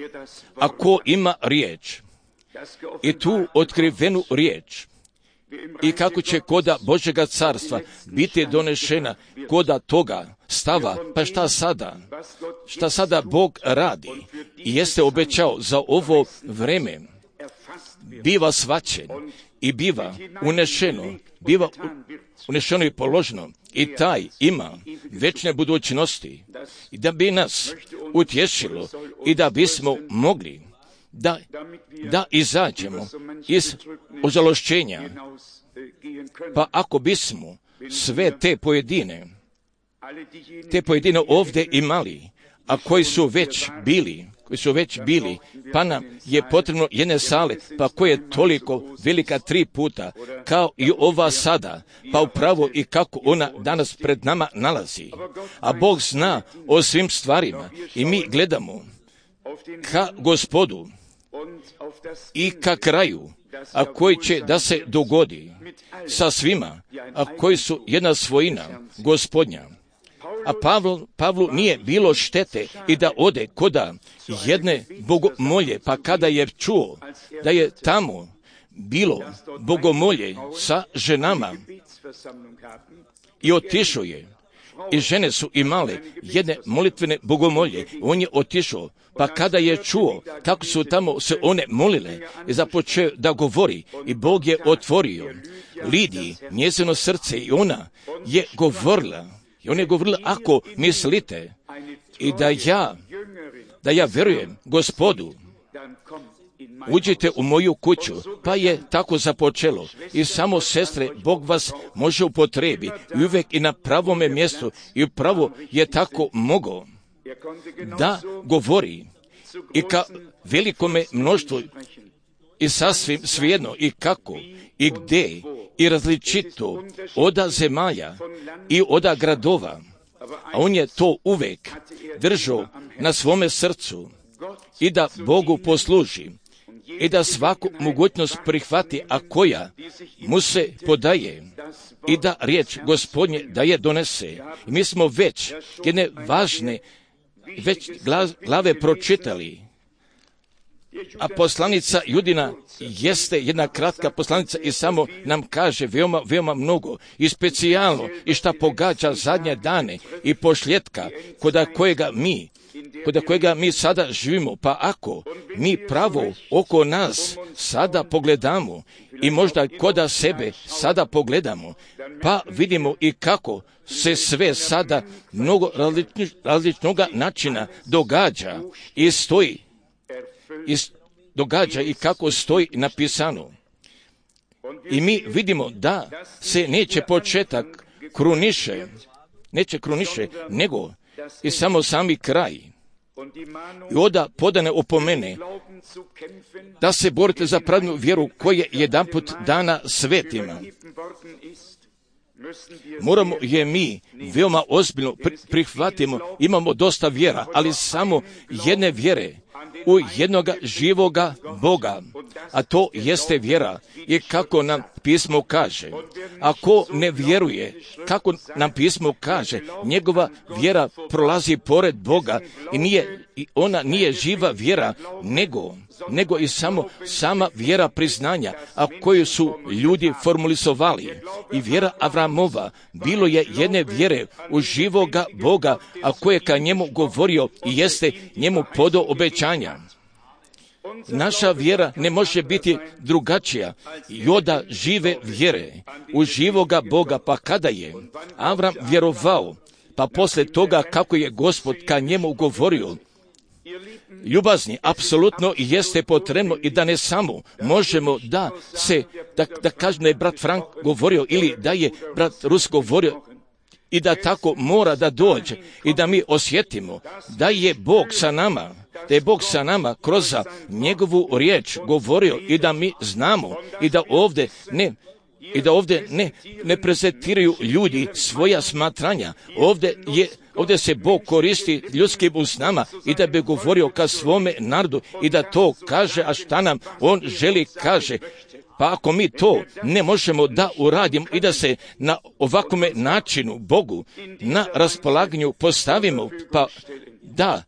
Ako ima riječ i tu otkrivenu riječ, i kako će koda Božjega carstva biti donešena koda toga stava, pa šta sada Bog radi i jeste obećao za ovo vreme, biva svačen i biva unešeno i položeno i taj ima večne budućnosti i da bi nas utješilo i da bismo mogli da izađemo iz ožalošćenja. Pa ako bismo sve te pojedine ovdje imali, a koji su već bili, pa nam je potrebno jedne sale, pa koja je toliko velika 3 puta, kao i ova sada, pa upravo i kako ona danas pred nama nalazi. A Bog zna o svim stvarima i mi gledamo ka Gospodu i ka kraju, a koji će da se dogodi sa svima, a koji su jedna svojina Gospodnja. A Pavlu nije bilo štete i da ode koda jedne bogomolje, pa kada je čuo da je tamo bilo bogomolje sa ženama i otišao je, i žene su imale jedne molitvene bogomolje, on je otišao, pa kada je čuo kako su tamo se one molile i započeo da govori i Bog je otvorio Lidiji njezino srce i ona je govorila I on je govorila, ako mislite i da ja verujem Gospodu, uđite u moju kuću. Pa je tako započelo. I samo, sestre, Bog vas može upotrebi i uvijek i na pravome mjestu i upravo je tako mogao da govori i ka velikome mnoštvu i sasvim svejedno i kako i gdje i različito oda zemalja i oda gradova. A on je to uvijek držao na svome srcu i da Bogu posluži i da svaku mogućnost prihvati, a koja mu se podaje i da riječ Gospodnje da je donese. I mi smo već jedne važne glave pročitali, a poslanica Judina jeste jedna kratka poslanica i samo nam kaže veoma, veoma mnogo i specijalno i šta pogađa zadnje dane i posljetka kod kojega mi sada živimo. Pa ako mi pravo oko nas sada pogledamo i možda koda sebe sada pogledamo, pa vidimo i kako se sve sada mnogo različnog načina događa i stoji događa i kako stoji napisano. I mi vidimo da se neće početak neće kruniše, nego i samo sami kraj. I onda podane opomene da se borite za pravednu vjeru koja je jedanput dana svetima. Moramo je mi veoma ozbiljno prihvatimo, imamo dosta vjera, ali samo jedne vjere u jednoga živoga Boga, a to jeste vjera. I kako nam pismo kaže, ako ne vjeruje, kako nam pismo kaže, njegova vjera prolazi pored Boga i ona nije živa vjera, nego i sama vjera priznanja, a koju su ljudi formulizovali. I vjera Avramova bilo je jedne vjere u živoga Boga, a koje ka njemu govorio i jeste njemu podao obećanja. Naša vjera ne može biti drugačija i oda žive vjere u živoga Boga. Pa kada je Avram vjerovao, pa poslije toga kako je Gospod ka njemu govorio, ljubazni, apsolutno jeste potrebno i da ne samo možemo da kažem da je brat Frank govorio ili da je brat Rus govorio i da tako mora da dođe i da mi osjetimo da je Bog sa nama, kroz njegovu riječ govorio i da mi znamo i da ovdje ne prezentiraju ljudi svoja smatranja. Ovdje se Bog koristi ljudskim usnama i da bi govorio ka svome narodu i da to kaže, a šta nam on želi kaže. Pa ako mi to ne možemo da uradimo i da se na ovakvome načinu Bogu na raspolaganju postavimo, pa da,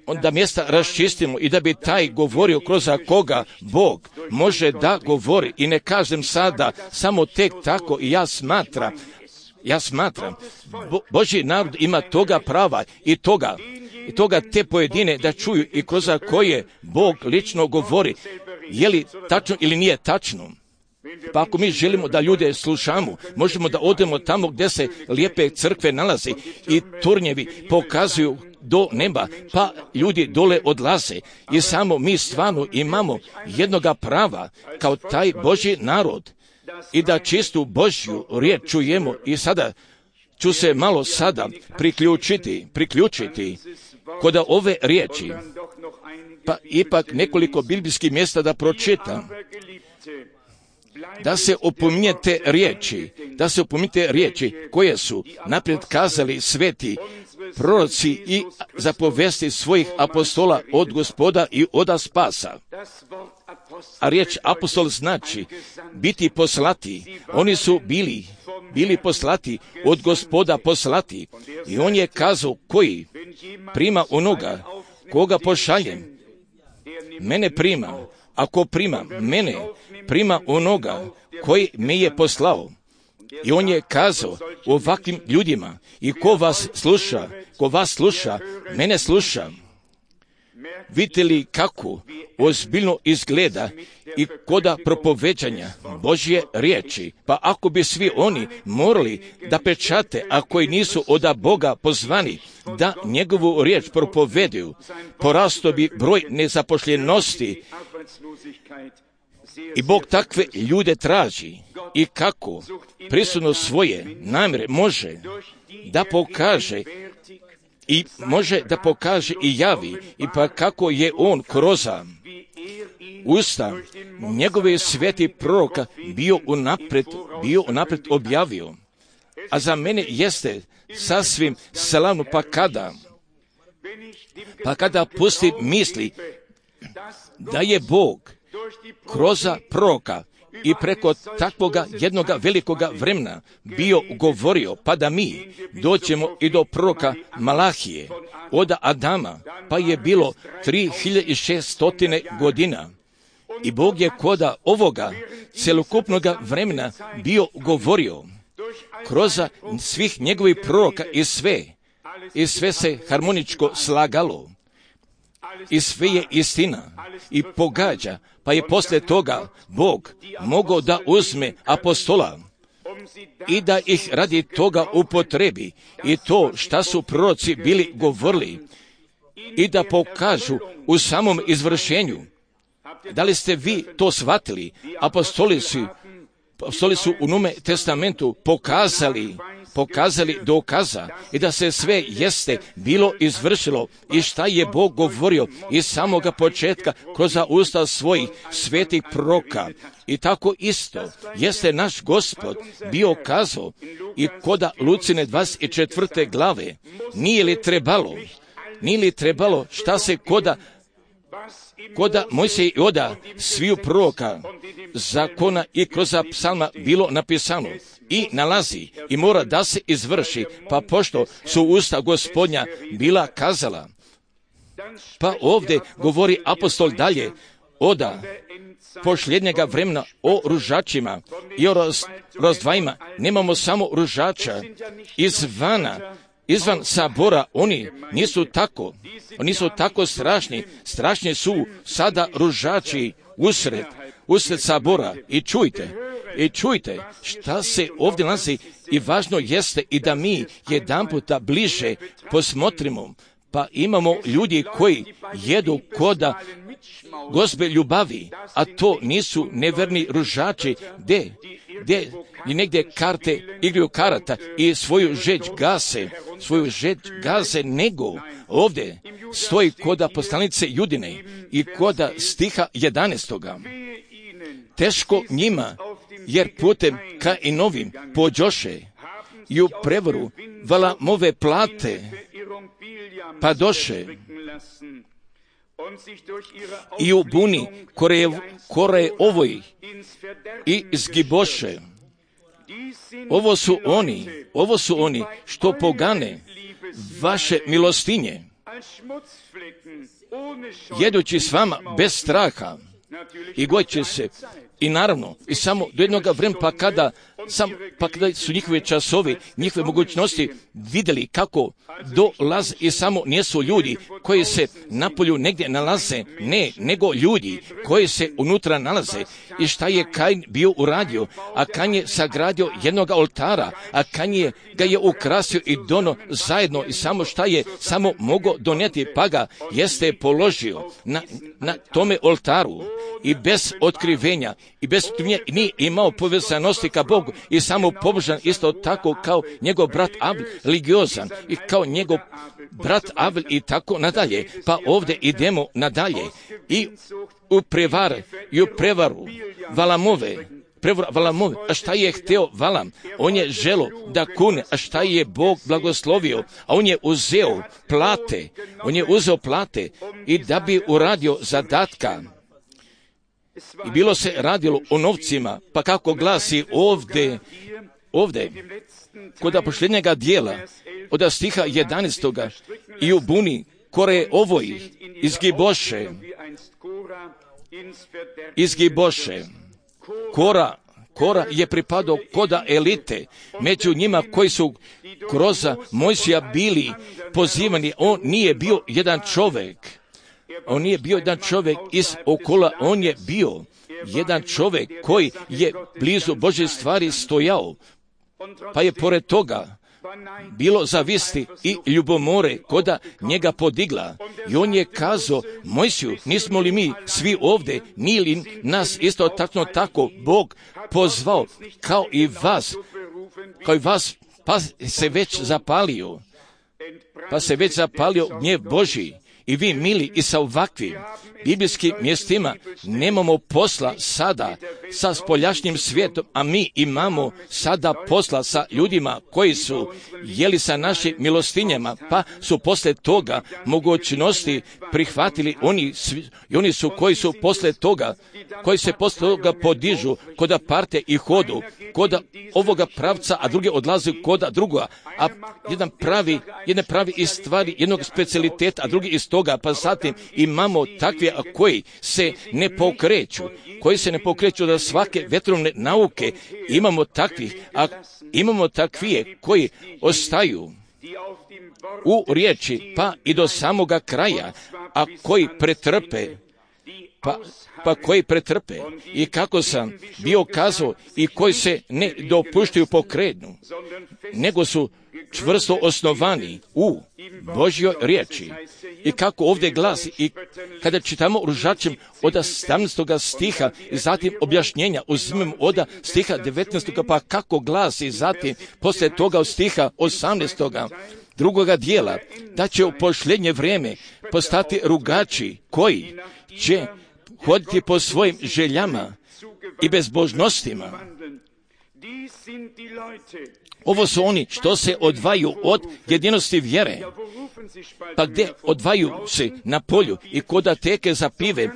onda mjesta raščistimo i da bi taj govorio kroz koga Bog može da govori. I ne kažem sada samo tek tako i ja smatram, Božji narod ima toga prava i toga te pojedine da čuju i kroz koje Bog lično govori. Je li tačno ili nije tačno? Pa ako mi želimo da ljude slušamo, možemo da odemo tamo gdje se lijepe crkve nalaze i turnjevi pokazuju do neba, pa ljudi dole odlaze i samo mi stvarno imamo jednoga prava kao taj Božji narod i da čistu Božju riječ čujemo. I sada ću se malo priključiti kod ove riječi, pa ipak nekoliko biblijskih mjesta da pročitam. Da se opominjete riječi koje su naprijed kazali sveti proroci i zapovesti svojih apostola od Gospoda i oda spasa. A riječ apostol znači biti poslati. Oni su bili poslati, od Gospoda poslati. I on je kazao koji prima onoga koga pošaljem. Mene prima. Ako prima mene, prima onoga koji me je poslao. I on je kazao ovakvim ljudima, i ko vas sluša, mene sluša. Vidite li kako ozbiljno izgleda i koda propoveđanja Božje riječi. Pa ako bi svi oni morali da pečate, a koji nisu od Boga pozvani da njegovu riječ propoveduju, porastao bi broj nezapošljenosti. I Bog takve ljude traži. I kako prisutno svoje namjere može da pokaže i može da pokaže i javi, i pa kako je on kroz usta njegove sveti proroka bio unaprijed objavio. A za mene jeste sasvim slavno, pa kada pusti misli da je Bog kroz proroka i preko takvoga jednoga velikoga vremena bio govorio, pa da mi doćemo i do proroka Malahije, od Adama, pa je bilo 3600 godina. I Bog je koda ovoga celokupnoga vremena bio govorio kroz svih njegovih proroka i sve se harmoničko slagalo. I sve je istina i pogađa, pa je poslije toga Bog mogao da uzme apostola i da ih radi toga upotrebi i to šta su proroci bili govorili i da pokažu u samom izvršenju. Da li ste vi to shvatili? Apostoli su u Novome testamentu pokazali dokaza i da se sve jeste bilo izvršilo i šta je Bog govorio iz samoga početka kroz usta svojih svetih proroka. I tako isto jeste naš Gospod bio kazao i koda Lucine 24. glave. Nije li trebalo šta se koda Mojsije i oda sviju proroka, zakona i kroz psalma bilo napisano i nalazi i mora da se izvrši, pa pošto su usta Gospodnja bila kazala. Pa ovdje govori apostol dalje oda posljednjega vremena o ružačima i o razdvajima. Nemamo samo ružača izvan sabora, oni nisu tako strašni. Strašni su sada ružači usred sabora. I čujte šta se ovdje nalazi i važno jeste i da mi jedanputa bliže posmotrimo. Pa imamo ljudi koji jedu koda Gospe ljubavi, a to nisu neverni ružači, gdje i negdje igraju karata i svoju žeć gase, nego ovdje stoji koda poslanice Judine i koda stiha 11. Teško njima, jer putem ka i novim pođoše i u prevaru Valamove plate padoše i u buni kore ovoj i zgiboše. Ovo su oni što pogane vaše milostinje, jedući s vama bez straha i gojiće se. I naravno, i samo do jednog vremena, pa kada su njihove časovi, njihove mogućnosti vidjeli kako dolaze i samo nisu ljudi koji se napolju negdje nalaze, nego ljudi koji se unutra nalaze. I šta je Kain bio uradio? A Kain je sagradio jednog oltara, a Kain ga je ukrasio i dono zajedno i samo šta je samo mogao donijeti, pa ga jeste položio na tome oltaru i bez otkrivenja i bez otkrivenja nije imao povezanosti ka Bogu i samo pobožan isto tako kao njegov brat Avil religiozan i kao njegov brat Avil i tako nadalje. Pa ovdje idemo nadalje i u prevaru Valamove. A šta je hteo Valam? On je želo da kune, a šta je Bog blagoslovio? A on je uzeo plate i da bi uradio zadatka. I bilo se radilo o novcima, pa kako glasi ovdje kod posljednjega dijela, od stiha 11. i u buni kore ovoj izgiboše. Kora je pripadao koda elite, među njima koji su kroz Mojsija bili pozivani. On nije bio jedan čovjek, On nije bio jedan čovjek iz okola, on je bio jedan čovjek koji je blizu Božje stvari stojao, pa je pored toga bilo zavisti i ljubomore koda njega podigla. I on je kazao, Mojsiju, nismo li mi svi ovdje, nije li nas isto tako Bog pozvao kao i vas, pa se već zapalio gnjev Božji. I vi, mili, i sa ovakvim biblijskim mjestima nemamo posla sada sa spoljašnjim svijetom, a mi imamo sada posla sa ljudima koji su jeli sa našim milostinjama, pa su poslije toga mogućnosti prihvatili oni su koji su poslije toga, koji se poslije toga podižu koda parte i hodu, koda ovoga pravca, a drugi odlaze koda drugoga, a jedan pravi iz stvari jednog specijaliteta, a drugi iz toga, pa zatim imamo takve koji se ne pokreću da svake vetrovne nauke, imamo takvije koji ostaju u riječi pa i do samoga kraja, a koji pretrpe, i kako sam bio kazao, i koji se ne dopuštaju pokretnu, nego su čvrsto osnovani u Božjoj riječi. I kako ovdje glasi, i kada čitamo Ružačem od 17. stiha i zatim objašnjenja uzmemo od stiha 19. pa kako glasi zatim poslije toga od stiha 18. drugoga dijela, da će u posljednje vrijeme postati rugači koji će hoditi po svojim željama i bezbožnostima. Ovo su oni što se odvaju od jedinosti vjere. Pa gdje odvaju se na polju i koda teke za pive,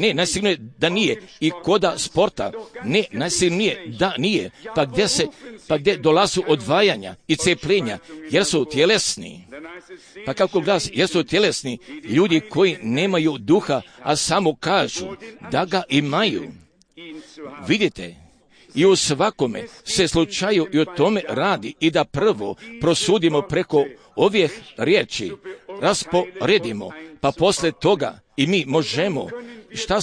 najsigurnije da nije, i koda sporta, najsigurnije da nije, pa gdje dolazu odvajanja i cepljenja, jer su tjelesni. Pa kako glasi, jer su tjelesni ljudi koji nemaju duha, a samo kažu da ga imaju. Vidite, i u svakome se slučaju i o tome radi, i da prvo prosudimo preko ovih riječi, rasporedimo, pa poslije toga i mi možemo šta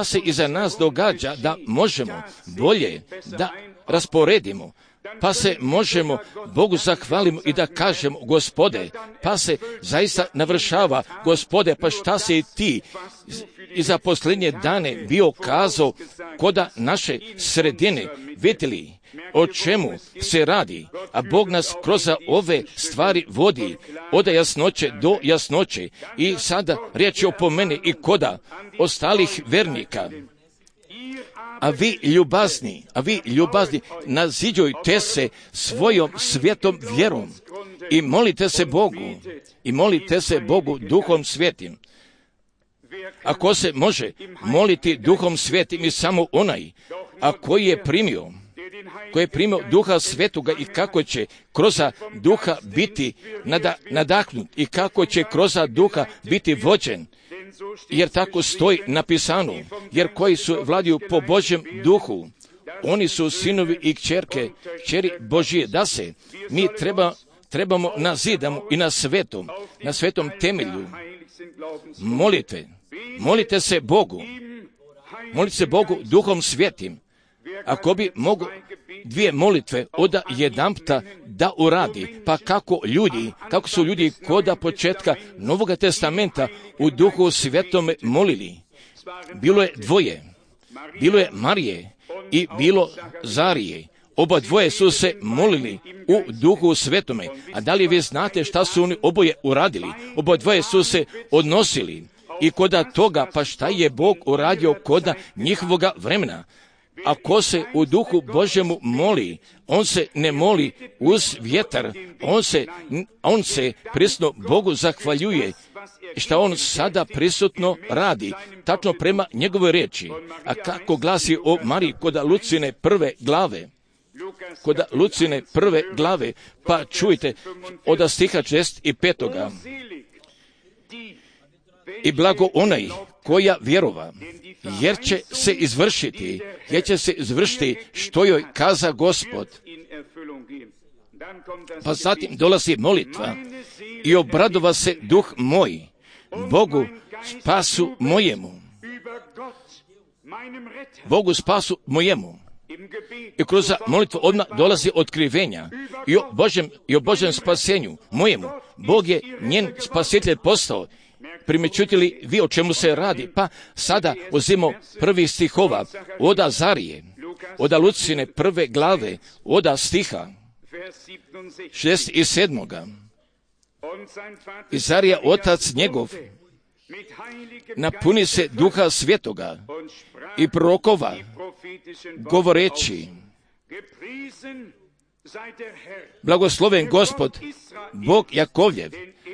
se iza nas događa, da možemo bolje da rasporedimo, pa se možemo Bogu zahvalimo i da kažemo, Gospode, pa se zaista navršava, Gospode, pa šta si ti i za posljednje dane bio kazao koda naše sredine, vidjeli o čemu se radi, a Bog nas kroz ove stvari vodi od jasnoće do jasnoće. I sada riječ je o meni i koda ostalih vernika. A vi ljubazni, naziđujte se svojom svetom vjerom i molite se Bogu duhom svetim. Ako se može moliti duhom svetim i samo onaj, a koji je primio duha svetoga, i kako će kroz duha biti nadahnut i kako će kroz duha biti vođen, jer tako stoji napisano, jer koji su vladaju po Božjem duhu, oni su sinovi i kćeri Božije, da se mi trebamo na zidamu i na svetom temelju molite se Bogu duhom svetim. Ako bi mogu dvije molitve od jedanputa da uradi, pa kako su ljudi koda početka Novoga testamenta u duhu svetome molili. Bilo je dvoje, bilo je Marije i bilo Zarije. Oba dvoje su se molili u duhu svetome. A da li vi znate šta su oni oboje uradili? Oba dvoje su se odnosili i koda toga, pa šta je Bog uradio koda njihovoga vremena? Ako se u duhu Božjemu moli, on se ne moli uz vjetar, on se prisutno Bogu zahvaljuje šta on sada prisutno radi, tačno prema njegovoj riječi. A kako glasi o Mariji koda Lucine prve glave, pa čujte od stiha 65. I blago onaj koja vjerova, jer će se izvršiti što joj kaza Gospod. Pa zatim dolazi molitva, i obradova se duh moj Bogu spasu mojemu. Bogu spasu mojemu. I kroz molitvu odmah dolazi otkrivenja i o Božjem spasenju mojemu. Bog je njen spasitelj postao. Primjećujete li vi o čemu se radi? Pa sada uzimo prvih stihova od Azarije, od Lucine prve glave, od stiha 67. Izarija, otac njegov, napuni se Duha Svetoga i prorokova, govoreći: blagosloven Gospod, Bog Jakovljev,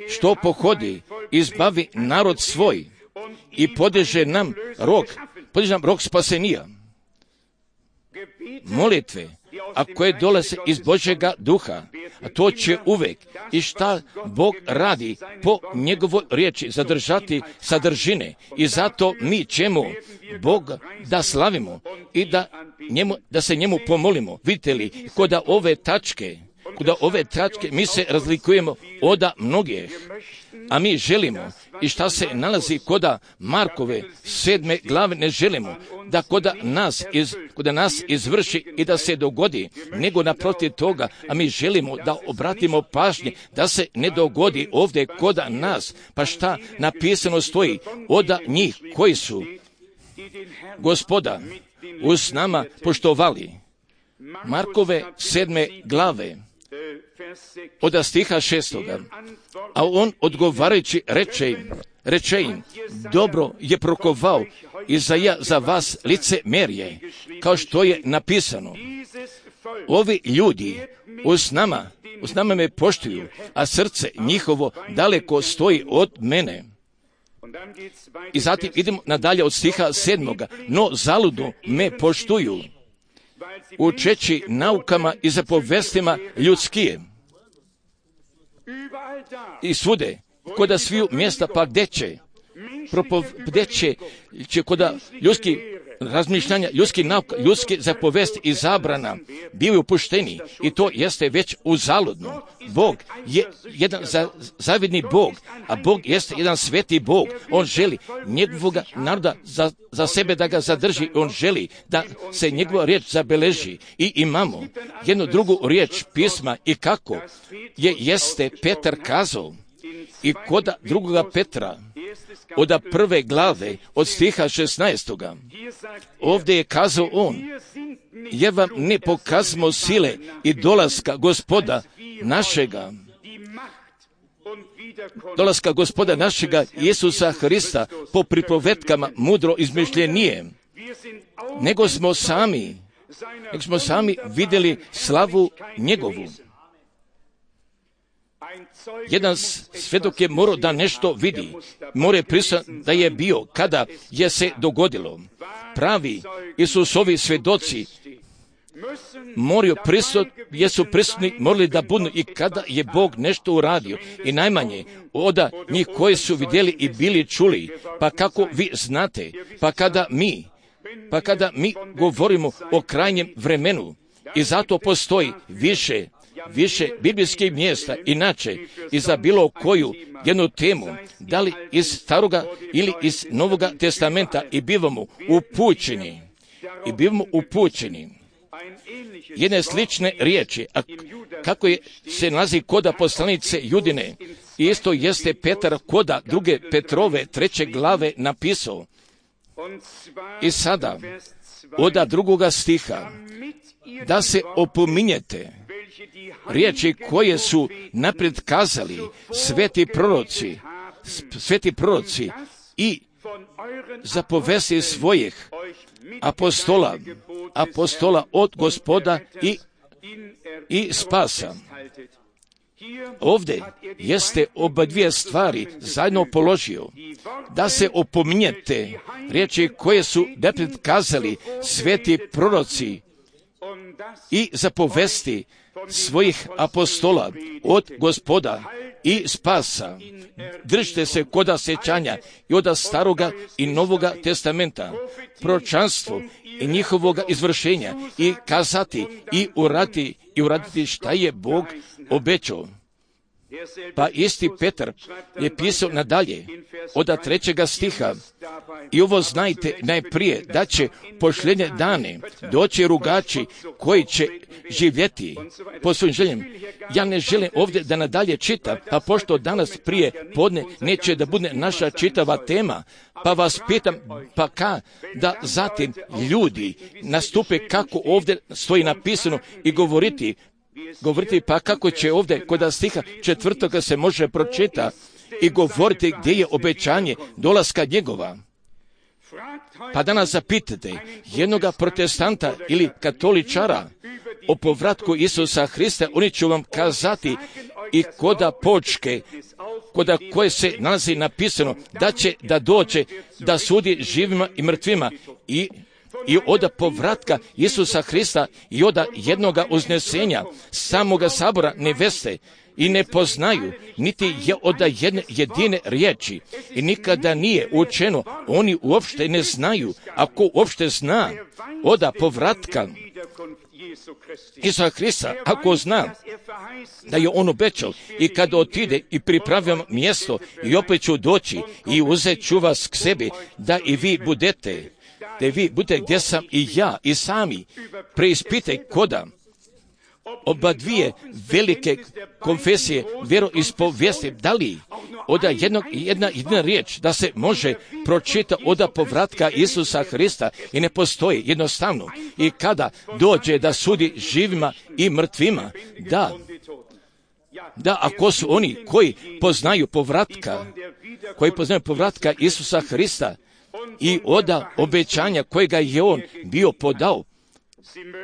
što pohodi, izbavi narod svoj i podiže nam rog spasenija. Molitve, a koje dolaze iz Božjega duha, a to će uvek, i šta Bog radi po njegovoj riječi, zadržati sadržine. I zato mi ćemo Boga da slavimo i da se njemu pomolimo. Vidite li, kod ove tačke mi se razlikujemo od mnogih, a mi želimo, i šta se nalazi kod Markove 7. glave, ne želimo da kod nas izvrši i da se dogodi, nego naprotiv toga, a mi želimo da obratimo pažnje da se ne dogodi ovdje kod nas. Pa šta napisano stoji od njih koji su Gospoda uz nama poštovali. Markove 7. glave od stiha 6. A on odgovarajući reče im: dobro je prokovao Izaija za vas licemerje, kao što je napisano: ovi ljudi uz nama me poštuju, a srce njihovo daleko stoji od mene. I zatim idemo nadalje od stiha 7. No zaludno me poštuju, učeći naukama i zapovestima ljudskije. I svude, kod sviju mjesta, pa gdje će kod ljudskih razmišljanja, ljudskih nauka, ljudske zapovesti i zabrana bili upušteni, i to jeste već uzaludno. Bog je jedan zavidni Bog, a Bog jeste jedan sveti Bog. On želi njegovog naroda za sebe da ga zadrži. On želi da se njegova riječ zabeleži. I imamo jednu drugu riječ pisma, i kako jeste Petar kazao, i kod drugoga Petra od prve glave od stiha 16. Ovdje je kazao on: jer vam ne pokazmo sile i dolaska Gospoda našega Isusa Hrista po pripovetkama mudro izmišljenije, nego smo sami vidjeli slavu njegovu. Jedan svjedok je morao da nešto vidi, mora pristati da je bio kada je se dogodilo. Pravi Isusovi svjedoci jesu prisutni, morali da budu i kada je Bog nešto uradio. I najmanje od njih koji su vidjeli i bili čuli. Pa kako vi znate, pa kada mi govorimo o krajnjem vremenu, i zato postoji više biblijskih mjesta, inače i za bilo koju jednu temu, da li iz Staroga ili iz Novoga testamenta, i bivamo upućeni. Jedne slične riječi, a kako se nalazi koda poslanice Judine, isto jeste Petar koda druge Petrove 3. glave napisao. I sada, od drugoga stiha, da se opominjete riječi koje su naprijed kazali sveti proroci i zapovesti svojih apostola od Gospoda i spasa. Ovdje jeste oba dvije stvari zajedno položio, da se opominjete riječi koje su naprijed kazali sveti proroci i zapovesti svojih apostola od Gospoda i spasa. Držite se koda sjećanja i od Staroga i Novoga testamenta, proročanstvo i njihovoga izvršenja, i kazati i uraditi šta je Bog obećao. Pa isti Petar je pisao nadalje, od 3. stiha, i ovo znajte najprije, da će posljednje dane doći rugači koji će živjeti po svojim željama. Ja ne želim ovdje da nadalje čitam, a pošto danas prije podne neće da bude naša čitava tema, pa vas pitam, pa da zatim ljudi nastupe kako ovdje stoji napisano i govoriti pa kako će ovdje kod stiha 4. se može pročita i govoriti gdje je obećanje dolaska njegova. Pa danas zapitate jednoga protestanta ili katoličara o povratku Isusa Hrista, oni će vam kazati i koda počke, koda koje se nalazi napisano da će da dođe da sudi živima i mrtvima i od povratka Isusa Hrista i od jednoga uznesenja samoga sabora neveste i ne poznaju, niti je od jedne jedine riječi i nikada nije učeno, oni uopšte ne znaju, ako uopšte zna od povratka Isusa Hrista, ako zna da je on obećao i kada otide i pripravljam mjesto i opet ću doći i uzet ću vas k sebi, da i vi budete, da vi budete gdje sam i ja i sami. Preispitaj koda oba dvije velike konfesije vjeroispovijesti, da li od jedna riječ da se može pročita od povratka Isusa Hrista i ne postoji jednostavno. I kada dođe da sudi živima i mrtvima, da ako su oni koji poznaju povratka Isusa Hrista i od obećanja kojega je on bio podao,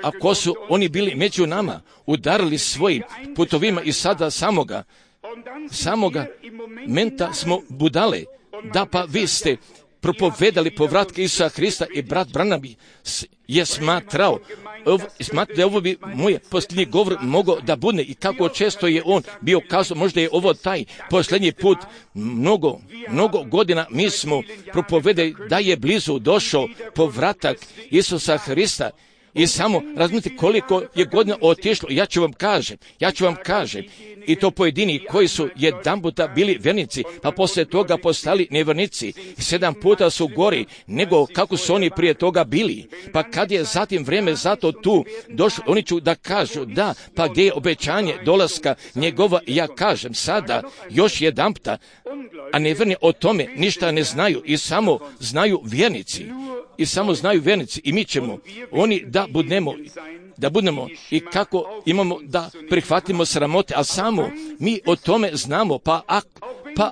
ako su oni bili među nama, udarili svojim putovima i sada samoga menta smo budale, da pa vi ste propovedali povratke Isusa Hrista i brat Branham je smatrao da ovo bi moj posljednji govor mogao da bude i kako često je on bio kazao, možda je ovo taj posljednji put, mnogo godina mi smo propovedali da je blizu došao povratak Isusa Hrista. I samo razmislite koliko je godina otišlo. Ja ću vam kažem, i to pojedini koji su jedanputa bili vernici, pa poslije toga postali nevernici. 7 puta su gori nego kako su oni prije toga bili. Pa kad je zatim vrijeme zato tu došlo, oni ću da kažu da, pa gdje je obećanje dolaska njegova, ja kažem sada još jedanputa, a neverni o tome ništa ne znaju i samo znaju vjernici. I mi ćemo, oni da budemo i kako imamo da prihvatimo sramote, a samo mi o tome znamo, pa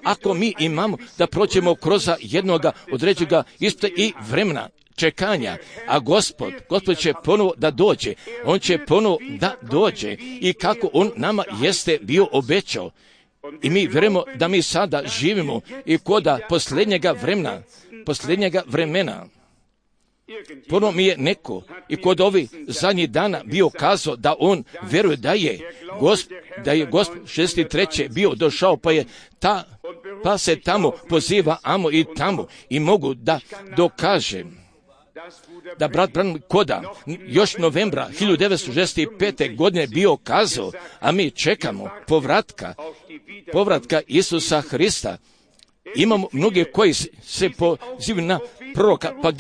ako mi imamo da prođemo kroz jednoga određega isto i vremena čekanja, a Gospod će ponovo da dođe, on će ponovo da dođe i kako on nama jeste bio obećao. I mi vjerujemo da mi sada živimo i koda posljednjega vremena. Ponovo mi je neko i kod ovih zadnjih dana bio kazao da on vjeruje da je Gospod 63. bio došao, pa se tamo poziva amo i tamo i mogu da dokažem da brat Branham koda još novembra 1965. godine bio kazao, a mi čekamo povratka Isusa Hrista. Imamo mnoge koji se pozivaju na proroka, pa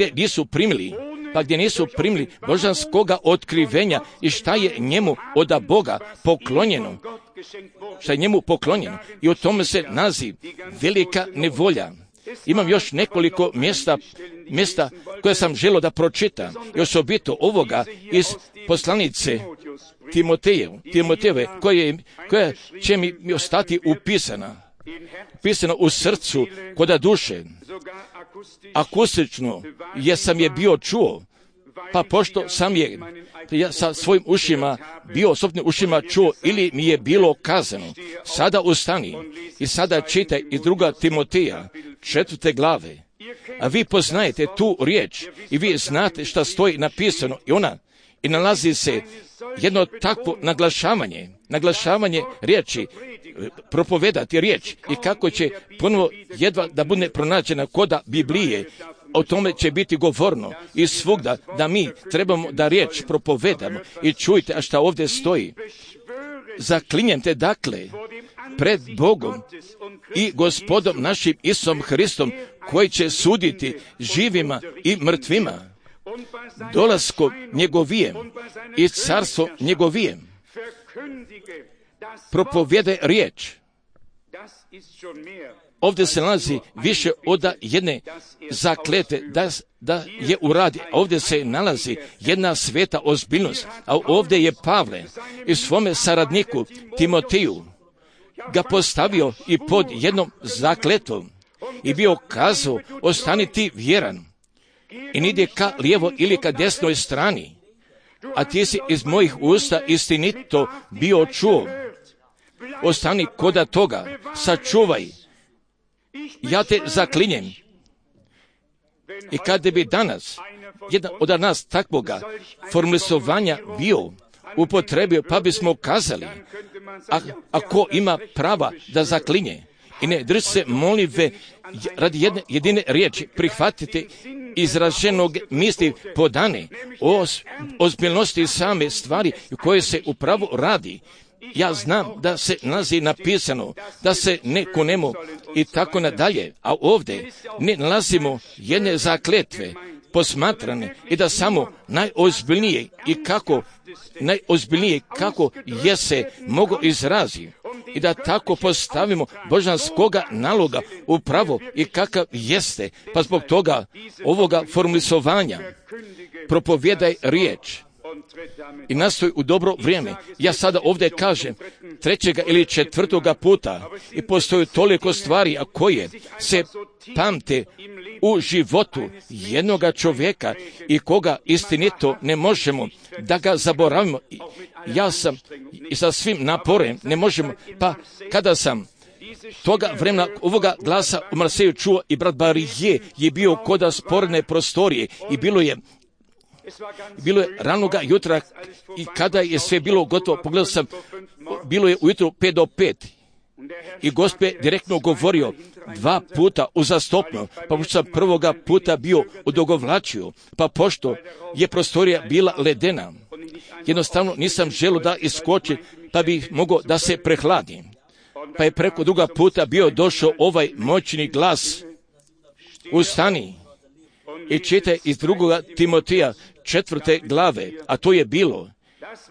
gdje nisu primili božanskoga otkrivenja i šta je njemu od Boga poklonjeno. I o tome se naziv velika nevolja. Imam još nekoliko mjesta koje sam želio da pročitam, i osobito ovoga iz poslanice Timotejeve, koja će mi ostati upisana u srcu, koda duše. Akustično jesam je bio čuo, pa pošto sam je sa svojim ušima bio osobnim ušima čuo ili mi je bilo kazano, sada ustani i sada čitaj iz 2. Timoteja 4. glave. A vi poznajete tu riječ i vi znate šta stoji napisano i nalazi se jedno takvo naglašavanje riječi, propovedati riječ i kako će ponovo jedva da bude pronađena koda Biblije. O tome će biti govorno i svugda da mi trebamo da riječ propovedamo i čujte, a šta ovdje stoji. Zaklinjem te dakle pred Bogom i Gospodom našim Isusom Hristom, koji će suditi živima i mrtvima, dolaskom njegovijem i carstvo njegovijem. Propovjedaj riječ. Ovdje se nalazi više od jedne zaklete da je uradi. Ovdje se nalazi jedna sveta ozbiljnost, a ovdje je Pavle i svome saradniku Timoteju ga postavio i pod jednom zakletom i bio kazao: ostani ti vjeran i nidi ka lijevo ili ka desnoj strani, a ti si iz mojih usta istinito bio čuo. Ostani koda toga, sačuvaj. Ja te zaklinjem. I kada bi danas jedan od nas takvoga formulisovanja bio upotrebio, pa bismo kazali: ako ima prava da zaklinje i ne drži se molitve radi jedne jedine riječi, prihvatite izraženog misli podane o ozbiljnosti same stvari koje se upravo radi. Ja znam da se nalazi napisano da se ne kunemo i tako nadalje, a ovdje ne nalazimo jedne zakletve posmatrane i da samo najozbiljnije kako je se mogo izrazi i da tako postavimo božanskoga naloga upravo i kakav jeste, pa zbog toga ovoga formulisovanja propovjedaj riječ i nastoj u dobro vrijeme. Ja sada ovdje kažem 3. ili 4. puta i postoji toliko stvari, a koje se pamte u životu jednoga čovjeka i koga istinito ne možemo da ga zaboravimo. Ja sam i sa svim naporem ne možemo, pa kada sam toga vremena ovoga glasa u Marseju čuo i brat Barije je bio koda sporne prostorije i bilo je ranoga jutra i kada je sve bilo gotovo, pogledao sam, bilo je ujutro 5 do 5 i Gospod je direktno govorio 2 puta uzastopno, pa pošto sam prvoga puta bio odugovlačio, pa pošto je prostorija bila ledena, jednostavno nisam želio da iskoči, pa bih mogao da se prehladim. Pa je preko druga puta bio došao ovaj moćni glas: ustani i čitaj iz 2. Timoteja 4. glave, a to je bilo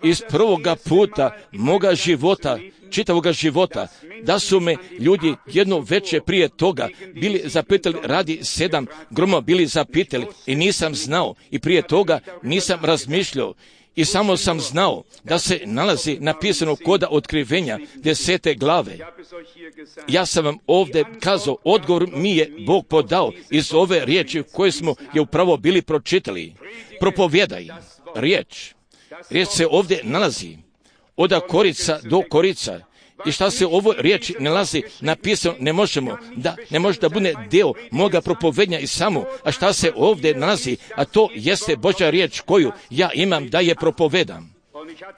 iz prvoga puta moga života, čitavoga života, da su me ljudi jedno veče prije toga bili zapitali radi 7 groma, bili zapitali i nisam znao i prije toga nisam razmišljao i samo sam znao da se nalazi napisano koda otkrivenja 10. glave. Ja sam vam ovdje kazao, odgovor mi je Bog podao iz ove riječi koje smo je upravo bili pročitali. Propovjedaj riječ. Riječ se ovdje nalazi od korica do korica. I šta se u ovoj riječi nalazi napisano, ne može da bude dio moga propovednja i samo, a šta se ovdje nalazi, a to jeste Božja riječ koju ja imam da je propovedam.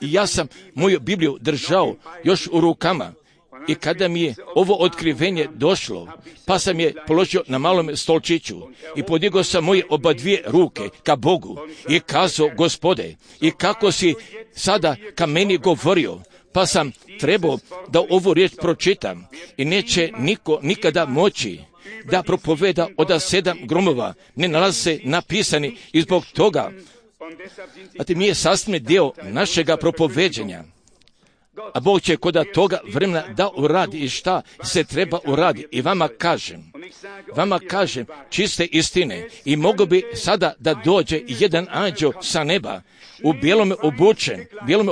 I ja sam moju Bibliju držao još u rukama i kada mi je ovo otkrivenje došlo, pa sam je položio na malom stolčiću i podigao sam moje obadvije ruke ka Bogu i kazao: Gospode, i kako si sada ka meni govorio, pa sam trebao da ovu riječ pročitam i neće niko nikada moći da propoveda od 7 gromova, ne nalaze se napisani i zbog toga, a ti mi je sastavni dio našega propoveđenja. A Bog će koda toga vremena da uradi i šta se treba uradi. I vama kažem čiste istine i mogu bi sada da dođe jedan anđeo sa neba u bijelome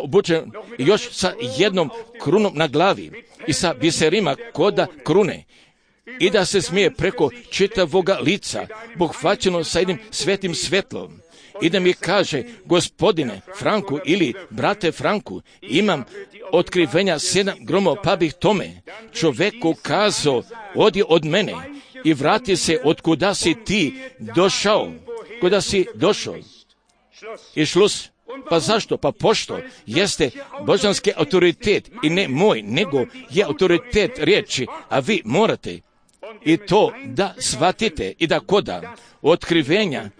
obučen i još sa jednom krunom na glavi i sa biserima koda krune i da se smije preko čitavoga lica pohvaćeno sa jednim svetim svetlom i da mi kaže: Gospodine Franku ili brate Franku, imam otkrivenja 7 gromova, pa bih tome čoveku kazao: odi od mene i vrati se od kuda si ti došao. I šlus. Pa zašto? Pa pošto jeste božanski autoritet i ne moj, nego je autoritet riječi, a vi morate i to da shvatite i da koda otkrivenja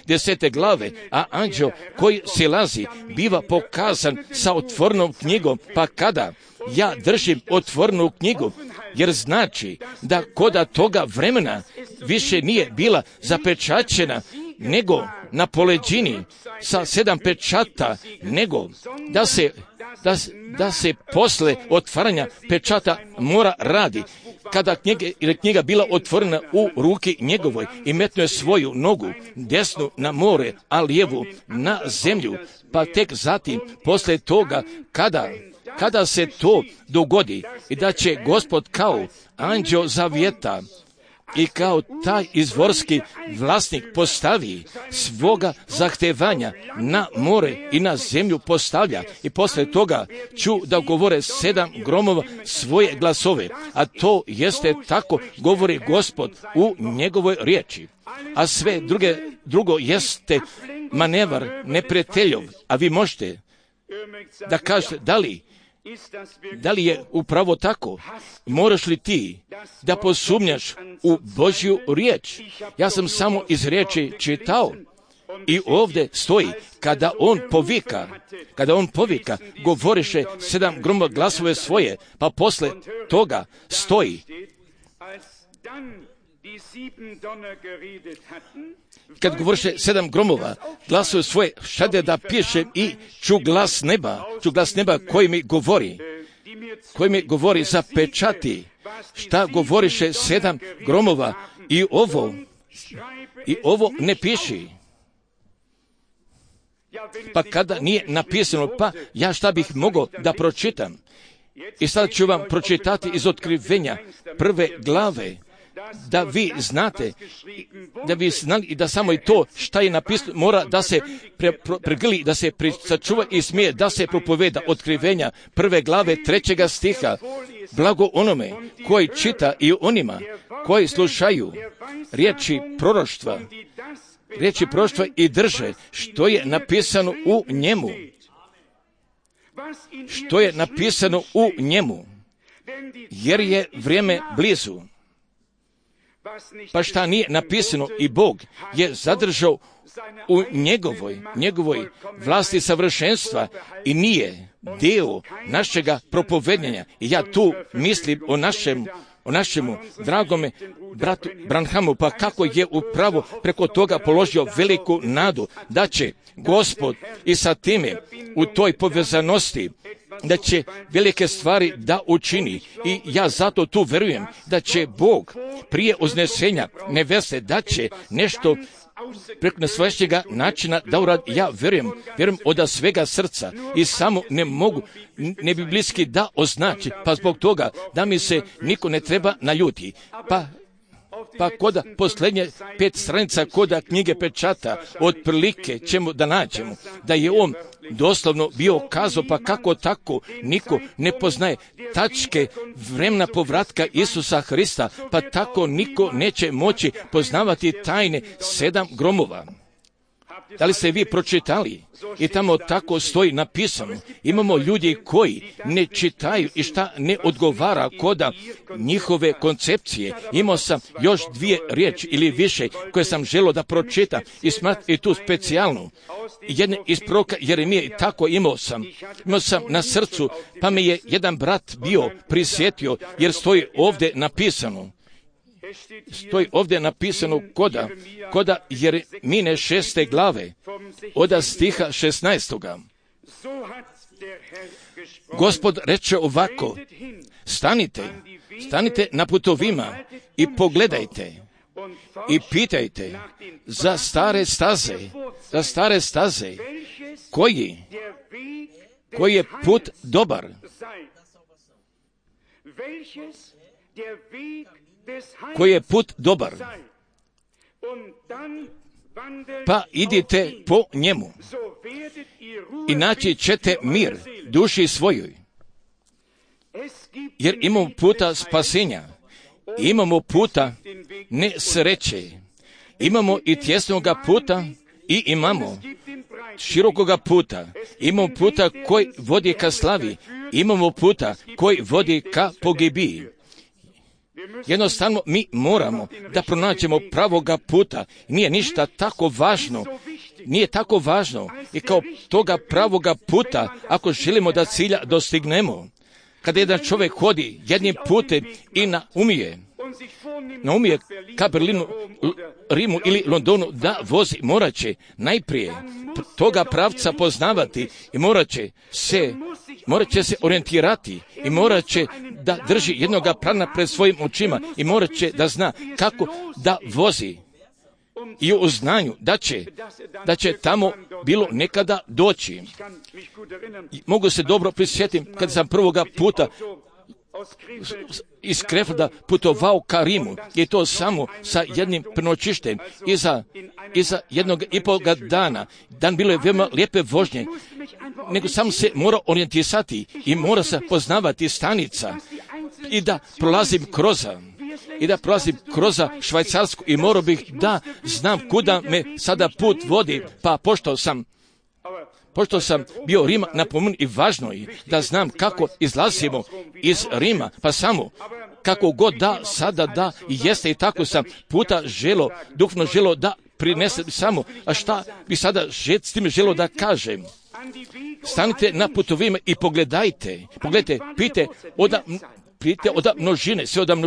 10. glave, a anđeo koji silazi biva pokazan sa otvorenom knjigom, pa kada ja držim otvorenu knjigu, jer znači da koda toga vremena više nije bila zapečaćena nego na poleđini sa 7 pečata, nego da se posle otvaranja pečata mora radi. Kada knjiga bila otvorena u ruki njegovoj i metnuo je svoju nogu desnu na more, a lijevu na zemlju, pa tek zatim posle toga kada se to dogodi i da će Gospod kao anđeo zavjeta i kao taj izvorski vlasnik postavi svoga zahtevanja na more i na zemlju postavlja i posle toga ću da govore 7 gromova svoje glasove, a to jeste tako govori Gospod u njegovoj riječi. A sve drugo jeste manevar neprijateljov, a vi možete da kažete da li je upravo tako? Moraš li ti da posumnjaš u Božju riječ? Ja sam samo iz riječi čitao i ovdje stoji, kada on povika, govoriše 7 gromova glasove svoje, pa posle toga stoji. Kad govoriše 7 gromova glasove svoje, šade da piše i ču glas neba koji mi govori za pečati, šta govoriše 7 gromova i ovo ne piši. Pa kada nije napisano, pa ja šta bih mogao da pročitam? I sad ću vam pročitati iz Otkrivenja 1. glave, da vi znate, da bi znali i da samo i to šta je napisano mora da se pregrli, da se sačuva i smije da se propoveda. Otkrivenja 1. glave 3. stiha. Blago onome koji čita i onima koji slušaju riječi proroštva i drže što je napisano u njemu. Što je napisano u njemu, jer je vrijeme blizu. Pa šta nije napisano i Bog je zadržao u njegovoj vlasti savršenstva i nije dio našega propovedanja. I ja tu mislim o našemu dragome bratu Branhamu, pa kako je upravo preko toga položio veliku nadu da će Gospod i sa time u toj povezanosti da će velike stvari da učini. I ja zato tu verujem da će Bog prije uznesenja neveste da će nešto preko nesvajašnjega načina da uradi. Ja verujem od svega srca i samo ne biblijski da označi, pa zbog toga da mi se niko ne treba naljuti. Pa koda posljednje 5 stranica koda knjige pečata, otprilike ćemo da nađemo da je on doslovno bio kazao, pa kako tako niko ne poznaje tačke vremena povratka Isusa Hrista, pa tako niko neće moći poznavati tajne 7 gromova. Da li ste vi pročitali? I tamo tako stoji napisano. Imamo ljudi koji ne čitaju i šta ne odgovara koda njihove koncepcije. Imao sam još 2 riječi ili više koje sam želio da pročitam i tu specijalnu. Jedne iz proroka Jeremije i tako imao sam na srcu, pa me je jedan brat bio prisjetio jer stoji ovdje napisano. Stoji ovdje napisano koda Jeremine 6. glave, od stiha 16. Gospod reče ovako, stanite na putovima i pogledajte i pitajte za stare staze, koji je put dobar. Koji je put dobar, pa idite po njemu i naći ćete mir duši svojoj. Jer imamo puta spasenja, imamo puta nesreće, imamo i tjesnoga puta i imamo širokoga puta, imamo puta koji vodi ka slavi, imamo puta koji vodi ka pogibiji. Jednostavno mi moramo da pronađemo pravoga puta. Nije ništa tako važno i kao toga pravoga puta ako želimo da cilja dostignemo. kada jedan čovjek hodi jednim putem i naumije ka Berlinu, Rimu ili Londonu da vozi, morat će najprije toga pravca poznavati i morat će se orijentirati i morat će da drži jednoga plana pred svojim očima i morat će da zna kako da vozi i u znanju da će tamo bilo nekada doći. Mogu se dobro prisjetiti kad sam prvoga puta iz Krefeld putovao ka Rimu, je to samo sa jednim prenoćištem iza 1,5 dana. Dan bilo je veoma lijepe vožnje, nego sam se mora orijentisati i mora se poznavati stanica i da prolazim kroz Švajcarsku i morao bih da znam kuda me sada put vodi, pa pošto sam bio Rima napomenut i važno je da znam kako izlazimo iz Rima, pa samo kako god da sada da i jeste i tako sam puta duhovno želo da prinesem samo, a šta bi sada s tim želo da kažem? Stanite na putovima i pogledajte, pite oda množine, sve od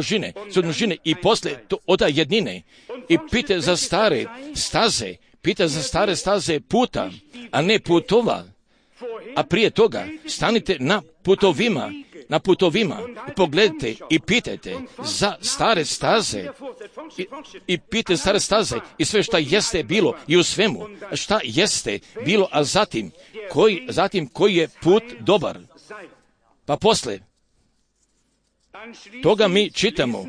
množine i posle to oda jednine i pite za stare staze puta, a ne putova. A prije toga stanite na putovima i pogledajte i pitajte za stare staze i pitajte stare staze i sve šta jeste bilo i u svemu šta jeste bilo, a zatim koji je put dobar. Pa posle toga mi čitamo,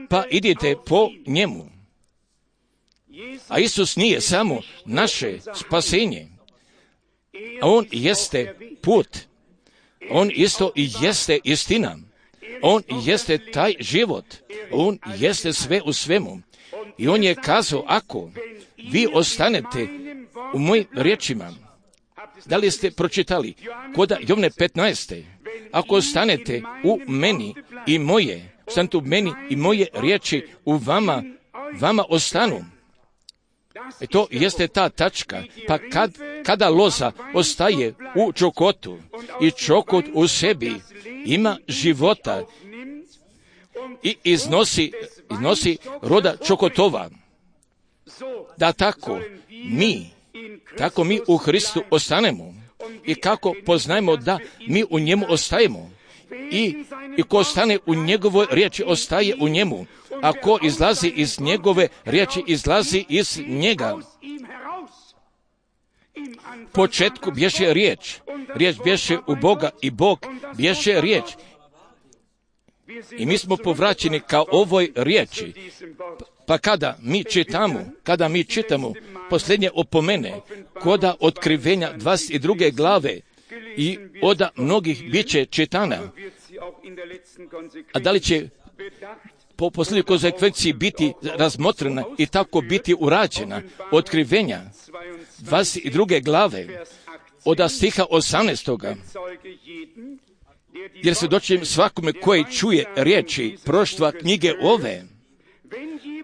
pa idite po njemu. A Isus nije samo naše spasenje, a On jeste put, On isto i jeste istina, On jeste taj život, On jeste sve u svemu. I On je kazao, ako vi ostanete u mojim riječima, da li ste pročitali kod Jovne 15. Ako ostanete u meni i moje riječi u vama ostanu. To jeste ta tačka. Pa kada loza ostaje u čokotu i čokot u sebi ima života i iznosi roda čokotova, da tako mi u Hristu ostanemo i kako poznajemo da mi u njemu ostajemo i ko ostane u njegovoj riječi ostaje u njemu, a ko izlazi iz njegove riječi izlazi iz njega. Početku bješe riječ bješe u Boga i Bog bješe riječ. I mi smo povraćeni ka ovoj riječi. Pa kada mi čitamo posljednje opomene koda otkrivenja 22. glave i oda mnogih bit će čitana, a da li će po posljednjoj konsekvenciji biti razmotrena i tako biti urađena otkrivenja 22. glave od stiha 18. Jer svjedočim svakome koji čuje riječi proštva knjige ove,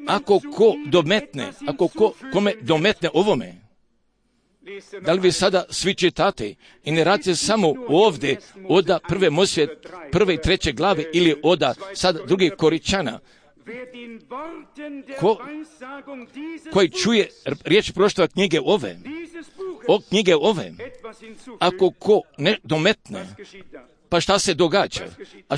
ako kome dometne ovome. Da li vi sada svi čitate i ne radite samo ovdje oda prve Mojsije 1. i 3. glave ili oda sad drugih Koričana, koji čuje riječ proštva knjige ove, ako ko ne dometne, pa šta se događa? A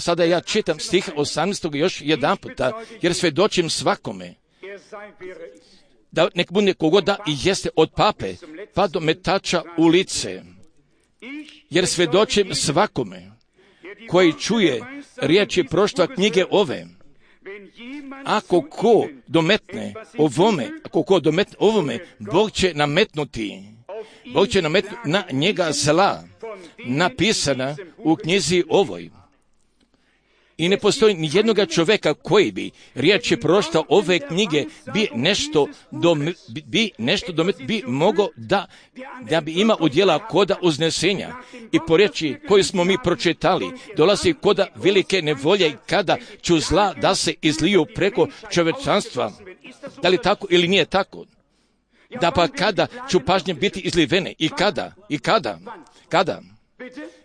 sada ja čitam stih 18. još jedan puta, jer svjedočim svakome, da nek bude kogoda i jeste od pape, pa do metača u lice. Jer svjedočim svakome, koji čuje riječi proštva knjige ove, ako ko dometne ovome, Bog će nametnuti na njega zla, napisana u knjizi ovoj. I ne postoji ni jednoga čovjeka koji bi riječi proštva ove knjige bi mogao da bi ima udjela koda uznesenja. I po riječi koju smo mi pročitali, dolazi koda velike nevolje kada ću zla da se izliju preko čovječanstva. Da li tako ili nije tako? da pa kada ću pažnje biti izlivene i kada,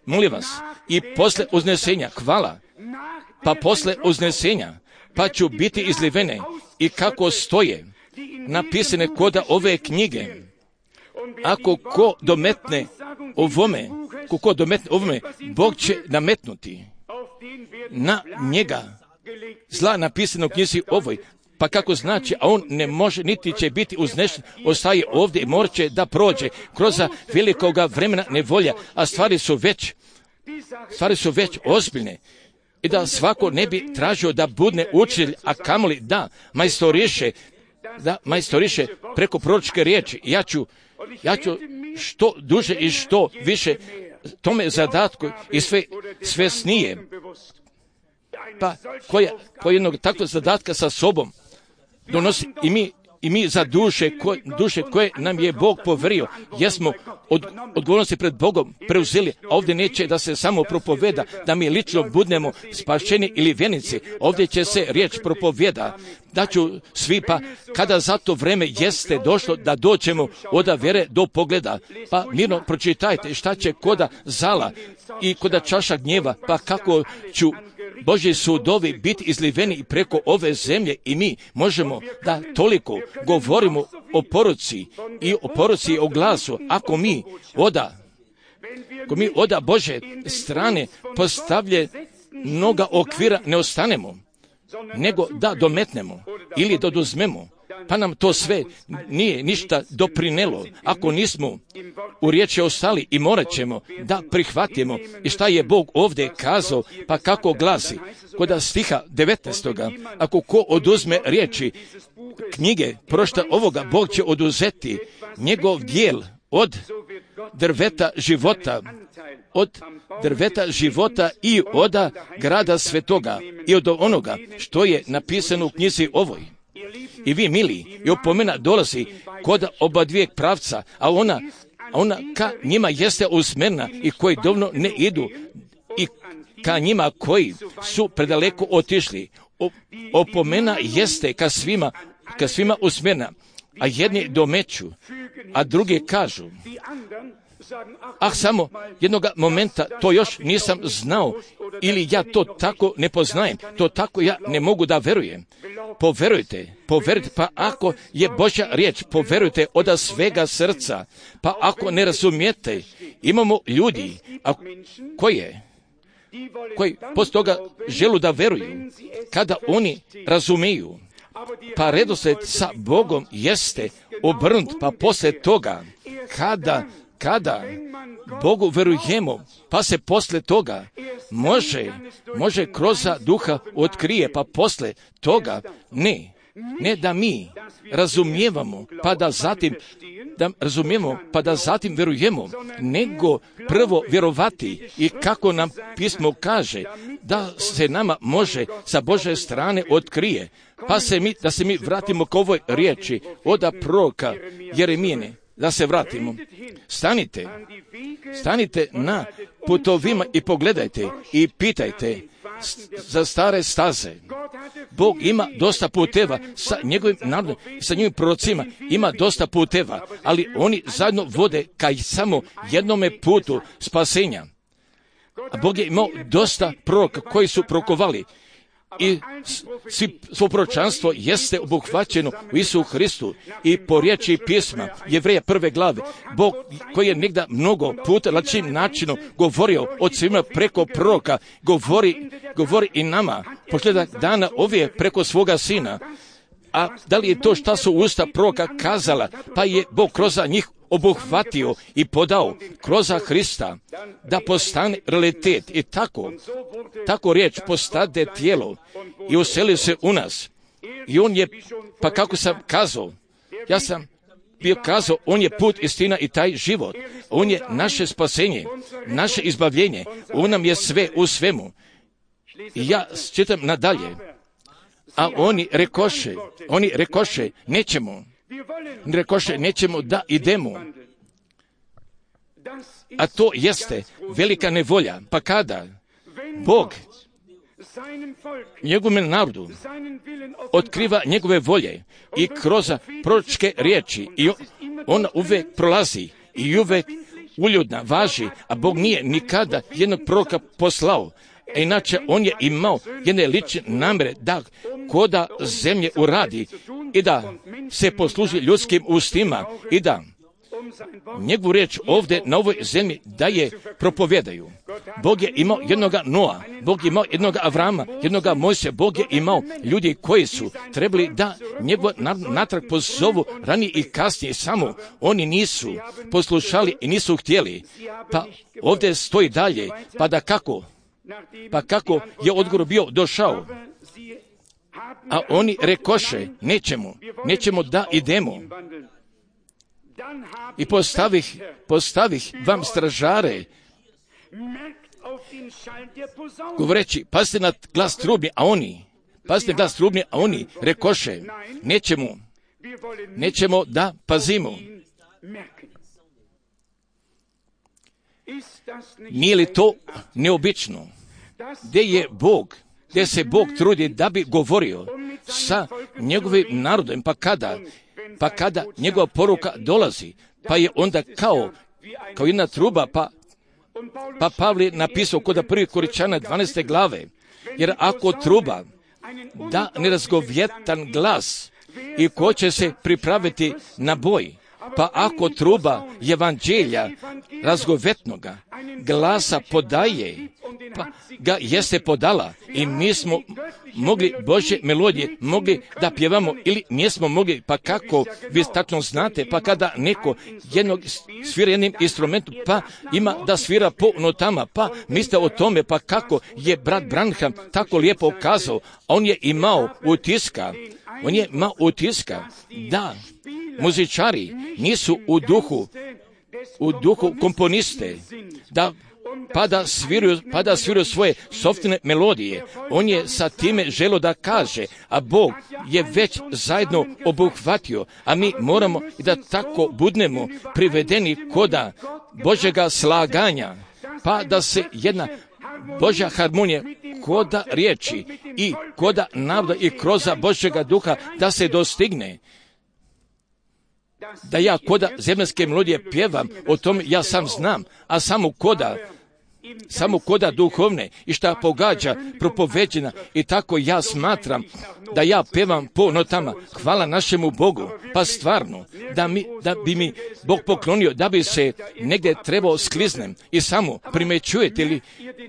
molim vas, i posle uznesenja, hvala, pa posle uznesenja, pa ću biti izlivene i kako stoje napisane koda ove knjige. Ako ko dometne ovome, Bog će nametnuti na njega zla napisano u knjizi ovoj. Pa kako znači, a on ne može, niti će biti uznešen, ostaje ovdje i morat će da prođe kroz velikoga vremena nevolja, a stvari su već ozbiljne. I da svako ne bi tražio da budne učitelj, a kamoli da majstoriše preko proročke riječi. Ja ću što duže i što više tome zadatku i sve snije. Pa koja jednog takvog zadatka sa sobom donosi i mi za duše koje nam je Bog poverio, jesmo odgovornosti pred Bogom preuzeli, a ovdje neće da se samo propoveda, da mi lično budemo spašeni ili vjenici. Ovdje će se riječ propoveda, da ću svi, pa kada za to vreme jeste došlo da dođemo od vjere do pogleda, pa mirno pročitajte šta će koda zala i koda čaša gnjeva, pa kako ću Božji sudovi biti izliveni preko ove zemlje i mi možemo da toliko govorimo o poruci i o glasu, ako mi oda Bože strane postavlje mnoga okvira ne ostanemo, nego da dometnemo ili da oduzmemo, pa nam to sve nije ništa doprinelo ako nismo u riječi ostali i morat ćemo da prihvatimo i šta je Bog ovdje kazao, pa kako glasi kod stiha 19. Ako ko oduzme riječi knjige prošta ovoga, Bog će oduzeti njegov dijel od drveta života i od grada svetoga i od onoga što je napisano u knjizi ovoj. I vi, mili, i opomena dolazi kod oba dvijeg pravca, a ona ka njima jeste usmjerena i koji dovoljno ne idu i ka njima koji su predaleko otišli. Opomena jeste ka svima usmjerena, a jedni domeću, a drugi kažu, samo jednoga momenta to još nisam znao ili ja to tako ne poznajem, to tako ja ne mogu da verujem. Poverujte, pa ako je Božja riječ, poverujte od svega srca, pa ako ne razumijete, imamo ljudi koji poslije toga želu da veruju, kada oni razumiju, pa redoslijed sa Bogom jeste obrnut, pa poslije toga, kada Bogu verujemo, pa se poslije toga može kroz duha otkrije, pa poslije toga ne da mi razumijevamo, pa da zatim verujemo, nego prvo vjerovati i kako nam pismo kaže, da se nama može sa Božje strane otkrije, da se mi vratimo k ovoj riječi od proroka Jeremijine, da se vratimo. Stanite na putovima i pogledajte i pitajte za stare staze. Bog ima dosta puteva sa njegovim narodom, sa njegovim prorocima, ima dosta puteva, ali oni zajedno vode ka samo jednome putu spasenja. A Bog je imao dosta proroka koji su prokovali i svo proročanstvo jeste obuhvaćeno u Isusu Hristu i po riječi pisma Jevreja 1. glave. Bog koji je negdje mnogo puta lačim načinom govorio od svima preko proroka, govori i nama posljedak dana ovdje preko svoga sina. A da li je to šta su usta proroka kazala, pa je Bog kroz njih obuhvatio i podao kroz Hrista da postane realitet i tako riječ postade tijelo i useli se u nas. I on je, pa kako sam kazao, ja sam bio kazao, on je put, istina i taj život. On je naše spasenje, naše izbavljenje. On nam je sve u svemu. I ja čitam nadalje. A oni rekoše, nećemo da idemo. A to jeste velika nevolja. Pa kada Bog njegovom narodu otkriva njegove volje i kroz proročke riječi i ona uvijek prolazi i uvijek uljudna važi, a Bog nije nikada jednog proroka poslao. A inače on je imao jedne lične namjere da koda zemlje uradi i da se posluži ljudskim ustima i da njegovu riječ ovdje na ovoj zemlji da je propovjedaju. Bog je imao jednoga Noa, Bog je imao jednoga Avrama, jednoga Mojsija, Bog je imao ljudi koji su trebali da njegov natrag pozovu ranije i kasnije, samo oni nisu poslušali i nisu htjeli. Pa ovdje stoji dalje, pa kako je odgovor bio došao, a oni rekoše, nećemo da idemo. I postavih vam stražare, govoreći, pazite na glas trubni, a oni rekoše, nećemo da pazimo. Nije li to neobično? Gdje se Bog trudi da bi govorio sa njegovim narodom, pa kada njegova poruka dolazi, pa je onda kao jedna truba, pa Pavle napisao kod 1. Korinčana 12. glave, jer ako truba da nerazgovjetan glas i ko će se pripraviti na boj, pa ako truba evanđelja razgovetnoga glasa podaje, pa ga jeste podala i mi smo mogli Božje melodije, mogli da pjevamo ili nismo mogli, pa kako vi tačno znate, pa kada neko svira jednim instrumentom, pa ima da svira po notama, pa mislite o tome, pa kako je brat Branham tako lijepo kazao, on je imao utiska da muzičari nisu u duhu komponiste, pa da sviraju svoje sopstvene melodije. On je sa time želio da kaže, a Bog je već zajedno obuhvatio, a mi moramo da tako budemo privedeni koda Božjega slaganja, pa da se jedna Božja harmonija koda riječi i koda naroda i kroz Božjega duha da se dostigne. Da ja koda zemaljske melodije pjevam, o tome ja sam znam, a samo koda duhovne i šta pogađa propoveđena i tako ja smatram da ja pevam po notama. Hvala našemu Bogu, pa stvarno da bi mi Bog poklonio, da bi se negdje trebao skliznem i samo primećujete li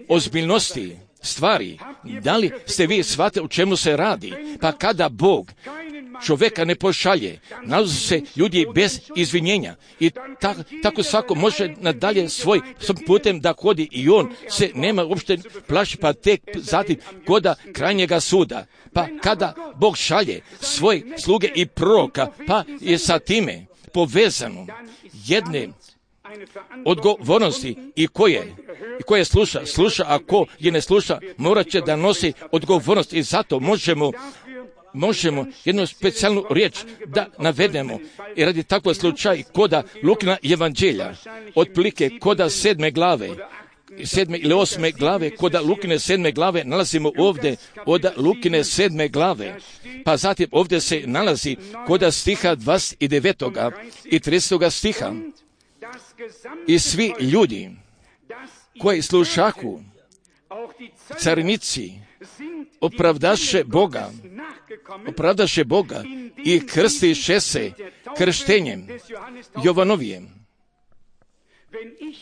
ozbiljnosti stvari, da li ste vi shvatili o čemu se radi, pa kada Bog čovjeka ne pošalje, nalaze se ljudi bez izvinjenja i tako svako može nadalje svoj putem da hodi i on se nema uopšte plaši, pa tek zatim koda krajnjega suda. Pa kada Bog šalje svoje sluge i proroka, pa je sa time povezano jedne odgovornosti i koje sluša, a ko je ne sluša, morat će da nosi odgovornost i zato možemo jednu specijalnu riječ da navedemo i radi takvog slučaj koda Lukina evanđelja, otprilike koda 7. glave, 7. ili 8. glave, koda Lukine 7. glave nalazimo ovdje od Lukine 7. glave, pa zatim ovdje se nalazi koda stiha 29. i 30. stiha. I svi ljudi koji slušahu, carinici, opravdaše Boga i krstiše se krštenjem Jovanovijem.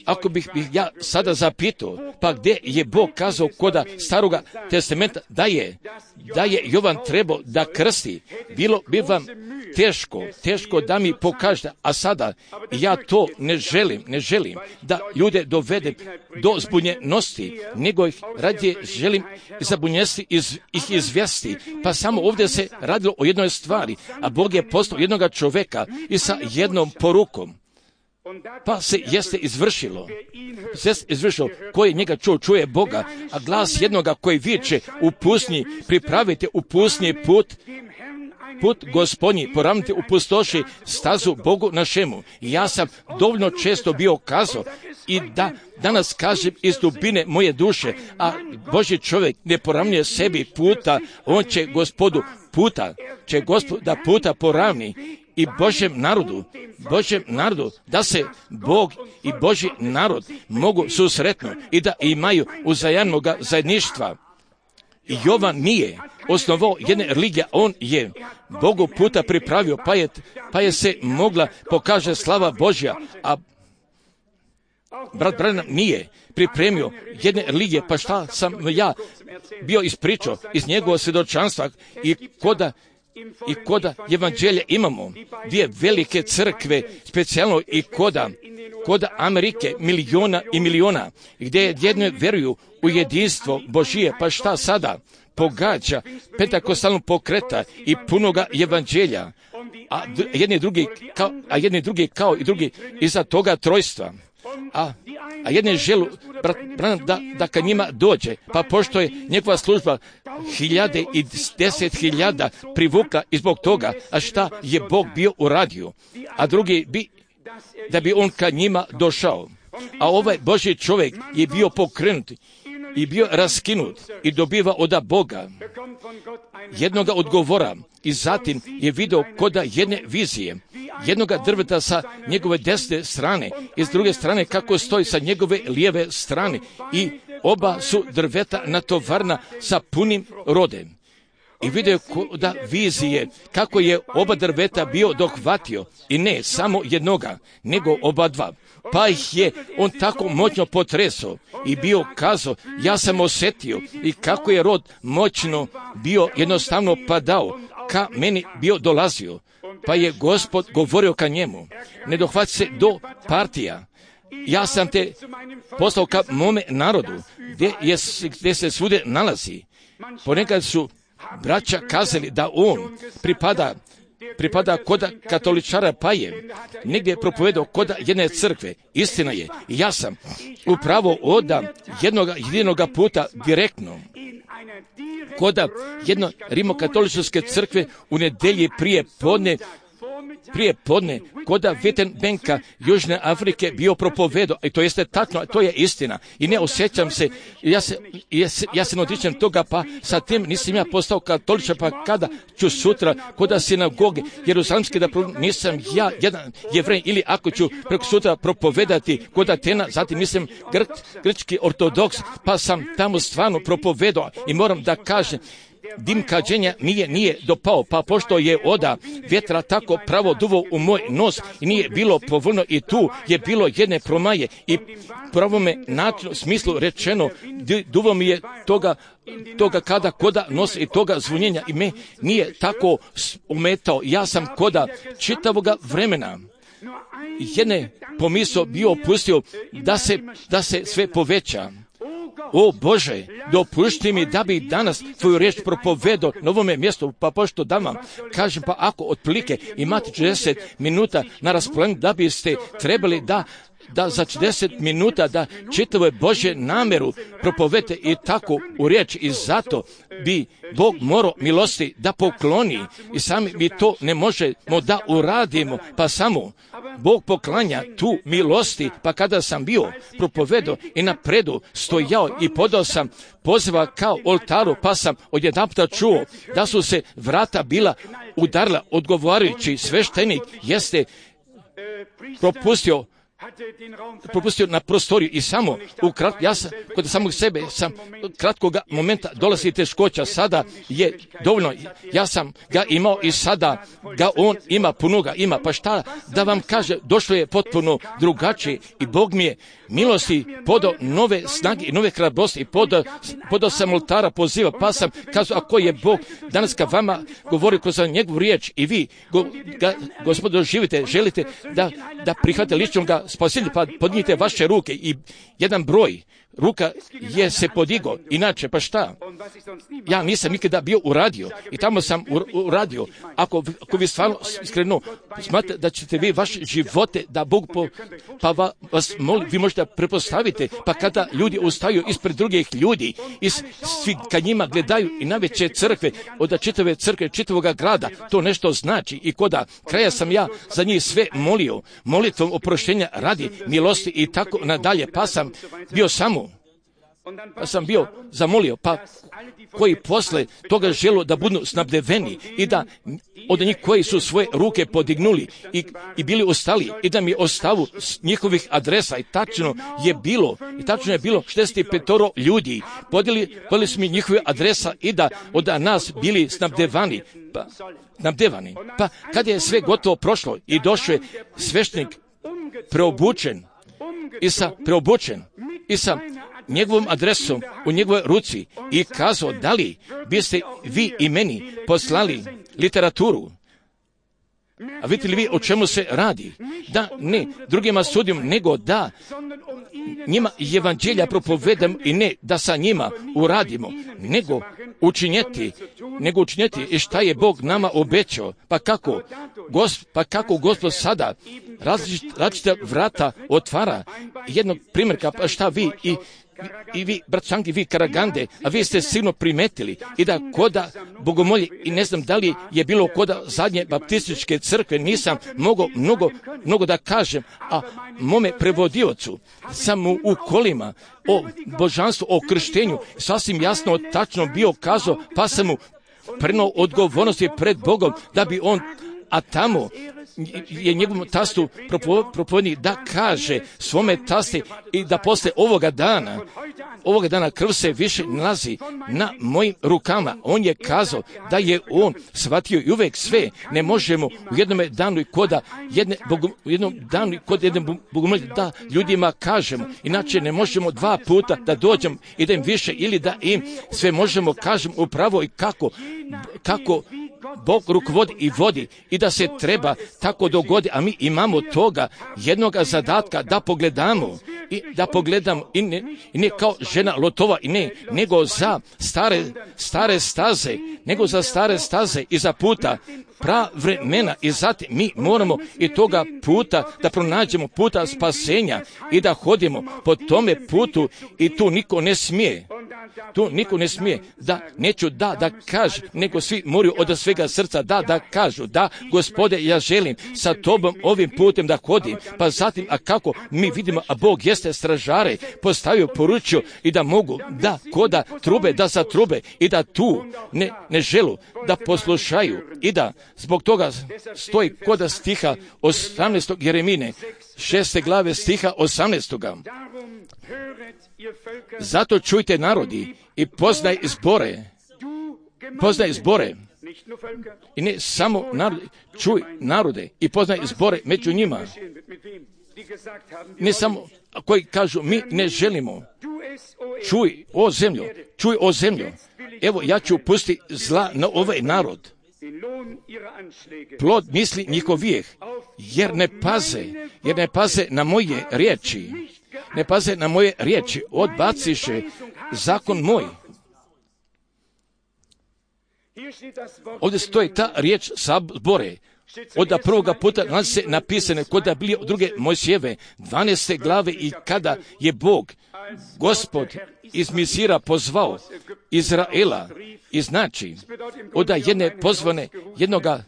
Ako bih ja sada zapitao, pa gdje je Bog kazao koda Staroga testamenta da je Jovan trebao da krsti, bilo bi vam teško da mi pokažete, a sada ja to ne želim da ljude dovedem do zbunjenosti, nego ih radije želim zabunjesti ih izvesti. Pa samo ovdje se radilo o jednoj stvari, a Bog je poslao jednoga čovjeka i sa jednom porukom. Pa se jeste izvršilo, koji njega čuje Boga, a glas jednoga koji viče u pustinji, pripravite u pustinji put Gospodnji, poravnite u pustoši stazu Bogu našemu. I ja sam dovoljno često bio kazao, i da danas kažem iz dubine moje duše, a Božji čovjek ne poravnjuje sebi puta, on će Gospodu puta poravni i Božjem narodu, da se Bog i Božji narod mogu susretno i da imaju uzajamnog zajedništva. Jovan nije osnovao jedne religije, on je Bogu puta pripravio, pa je se mogla pokaže slava Božja, a brat Branham nije pripremio jedne religije, pa šta sam ja bio ispričao iz njegovog svjedočanstva i koda evanđelja imamo dvije velike crkve, specijalno i koda Amerike miliona i miliona, gdje jedne vjeruju u jedinstvo Božije, pa šta sada pogađa pentakostalnog pokreta i punoga evanđelja, a jedni drugi kao i drugi iza toga trojstva. A jedne želu da ka njima dođe, pa pošto je njegova služba 1000 i 10.000 privukla i zbog toga, a šta je Bog bio uradio, a drugi da bi on ka njima došao. A ovaj Božji čovjek je bio pokrenut i bio raskinut i dobiva od Boga jednoga odgovora i zatim je video koda jedne vizije, jednoga drveta sa njegove desne strane i s druge strane kako stoji sa njegove lijeve strane i oba su drveta natovarna sa punim rodem. I vidio koda vizije kako je oba drveta bio dohvatio i ne samo jednoga, nego oba dva. Pa ih je on tako moćno potresao i bio kazao, ja sam osjetio i kako je rod moćno bio jednostavno padao, ka meni bio dolazio. Pa je Gospod govorio ka njemu, ne dohvati se do partija. Ja sam te poslao ka mome narodu, gdje se svude nalazi. Ponekad su braća kazali da on pripada koda katoličara, pa je negdje propovedao koda jedne crkve. Istina je, ja sam upravo od jedinoga puta direktno koda jedno rimokatoličke crkve u nedjelji prije podne koda Wittenbenka Južne Afrike bio propovedao, i to jeste tačno, to je istina. I ne osjećam se, ja se ne odričem toga, pa sa tim nisam ja postao katoličan, pa kada ću sutra koda sinagoge Jerusalimske da nisam ja jedan Jevrej, ili ako ću preko sutra propovedati kod Atena, zatim nisam grčki ortodoks, pa sam tamo stvarno propovedao i moram da kažem, dim kađenja nije dopao, pa pošto je oda vjetra tako pravo duvo u moj nos i nije bilo povoljno i tu je bilo jedne promaje i pravome načinu smislu rečeno duvo mi je toga kada koda nos i toga zvunjenja i me nije tako umetao. Ja sam koda čitavoga vremena jedne pomisao bio opustio da se sve poveća. O Bože, dopušti mi da bi danas tvoju riječ propovedao na ovome mjestu, pa pošto da vam kažem, pa ako otprilike imate 40 minuta na raspolaganju, da biste trebali da za 40 minuta da čitave Božje nameru propovete i tako u riječ, i zato bi Bog morao milosti da pokloni i sami mi to ne možemo da uradimo, pa samo Bog poklanja tu milosti. Pa kada sam bio propovedao i napredu stojao i podao sam poziva kao oltaru, pa sam odjedanputa čuo da su se vrata bila udarila, odgovarajući sveštenik jeste propustio na prostoriju i samo ja sam kod samog sebe sam kratkoga momenta dolazi teškoća, sada je dovoljno, ja sam ga imao i sada ga on ima, puno ga ima, pa šta da vam kaže, došlo je potpuno drugačije i Bog mi je milosti podao nove snage i nove hrabrosti i podao sam oltara poziva, pa sam kazao, ako je Bog danas ka vama govori kroz njegovu riječ i vi Gospod doživite, želite da prihvatite ličnog spasitelja, pa podnijete vaše ruke i jedan broj ruka je se podigo, inače pa šta? Ja nisam nikada bio u radiju i tamo sam uradio. Ako vi stvarno iskreno smatrate da ćete vi vaše živote da Bog pa vas molim, vi možete prepostaviti, pa kada ljudi ustaju ispred drugih ljudi i svi kad njima gledaju i najveće crkve, od čitave crkve, čitavoga grada, to nešto znači i koda kraja sam ja za njih sve molio, molitvom oproštenja radi milosti i tako nadalje, pa sam bio zamolio, pa koji posle toga želo da budu snabdeveni i da od njih koji su svoje ruke podignuli i bili ostali i da mi ostavu njihovih adresa i tačno je bilo 65 ljudi, podijeli su mi njihove adresa i da od nas bili snabdevani. Pa kad je sve gotovo prošlo i došao je sveštenik preobučen i sa njegovom adresom u njegovoj ruci i kazao, da li biste vi i meni poslali literaturu? A vidite li vi o čemu se radi? Da ne drugima sudim, nego da njima evanđelja propovedam i ne da sa njima uradimo, nego učinjeti i šta je Bog nama obećao. Pa kako Gospod sada različita vrata otvara. Jednog primjerka, pa šta vi i vi, brat Šanki, vi Karagande, a vi ste sigurno primetili i da koda bogomolje, i ne znam da li je bilo koda zadnje baptističke crkve, nisam mogao mnogo da kažem, a mome prevodiocu sam mu u kolima o božanstvu, o krštenju, sasvim jasno, tačno bio kazao, pa sam mu prenao odgovornosti pred Bogom, da bi on, a tamo je njegovom tastu propovednik da kaže svome tasti i da posle ovoga dana krv se više nalazi na mojim rukama. On je kazao da je on shvatio i uvek sve ne možemo u jednom danu i kod jedne bogomolje da ljudima kažemo. Inače ne možemo 2 puta da dođemo i da im više ili da im sve možemo kažemo upravo i kako Bog rukovodi i vodi i da se treba tako dogodi, a mi imamo toga jednoga zadatka da pogledamo i ne kao žena Lotova i ne, nego za stare staze i za puta pravremena i zatim mi moramo i toga puta da pronađemo puta spasenja i da hodimo po tome putu i tu niko ne smije da neću da kaže, nego svi moraju od svega srca da kažu, da Gospode, ja želim sa tobom ovim putem da hodim, pa zatim, a kako mi vidimo, a Bog jeste stražare postavio, poručio i da mogu da koda trube, da zatrube i da tu ne želu da poslušaju i da zbog toga stoji koda stiha 18. Jeremine 6. glave stiha 18. Zato čujte narodi i poznaj zbore i ne samo narodi, čuj narode i poznaj zbore među njima. Ne samo koji kažu mi ne želimo. Čuj o zemljo, evo ja ću pustiti zla na ovaj narod. Plod misli njihovijeh, jer ne paze na moje riječi, odbaciše zakon moj. Ovdje stoji ta riječ sabore. Od prvoga puta nalazi se napisane kod da bili od druge Mojsijeve 12. glave i kada je Bog, Gospod iz Misira pozvao Izraela i znači od jedne pozvane jednoga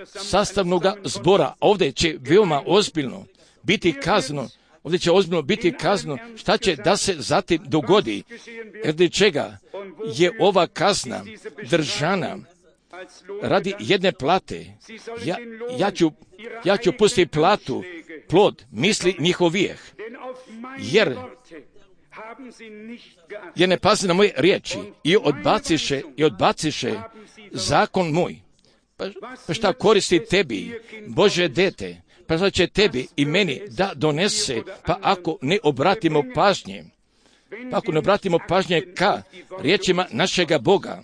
sastavnoga zbora. Ovdje će veoma ozbiljno biti kazno. Ovdje će ozbiljno biti kazno šta će da se zatim dogodi. Radi čega je ova kazna držana radi jedne plate. Ja ću pustiti platu, plod misli njihovijeh. Jer ne pazi na moje riječi i odbaciše zakon moj. Pa šta koristi tebi, Bože dete? Pa šta će tebi i meni da donese, pa ako ne obratimo pažnje ka riječima našega Boga,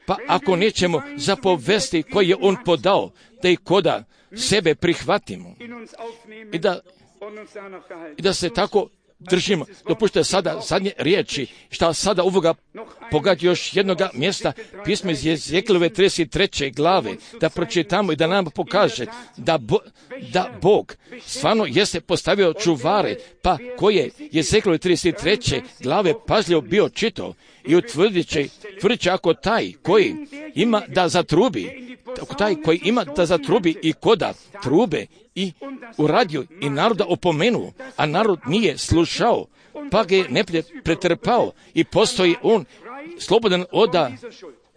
pa ako nećemo zapovesti koje je On podao, da i koda sebe prihvatimo i da se tako držimo. Dopustite sada zadnje riječi, šta sada ovoga pogađa još jednoga mjesta, pismo iz Jezekijelove 33. glave, da pročitamo i da nam pokaže da Bog stvarno jeste postavio čuvare, pa koje Jezekijelove 33. glave pažljivo bio čitao i tvrdit će ako taj koji ima da zatrubi, i koda trube i uradio i naroda opomenuo, a narod nije slušao, pa ga je neprijatelj pretrpao i postoji on slobodan od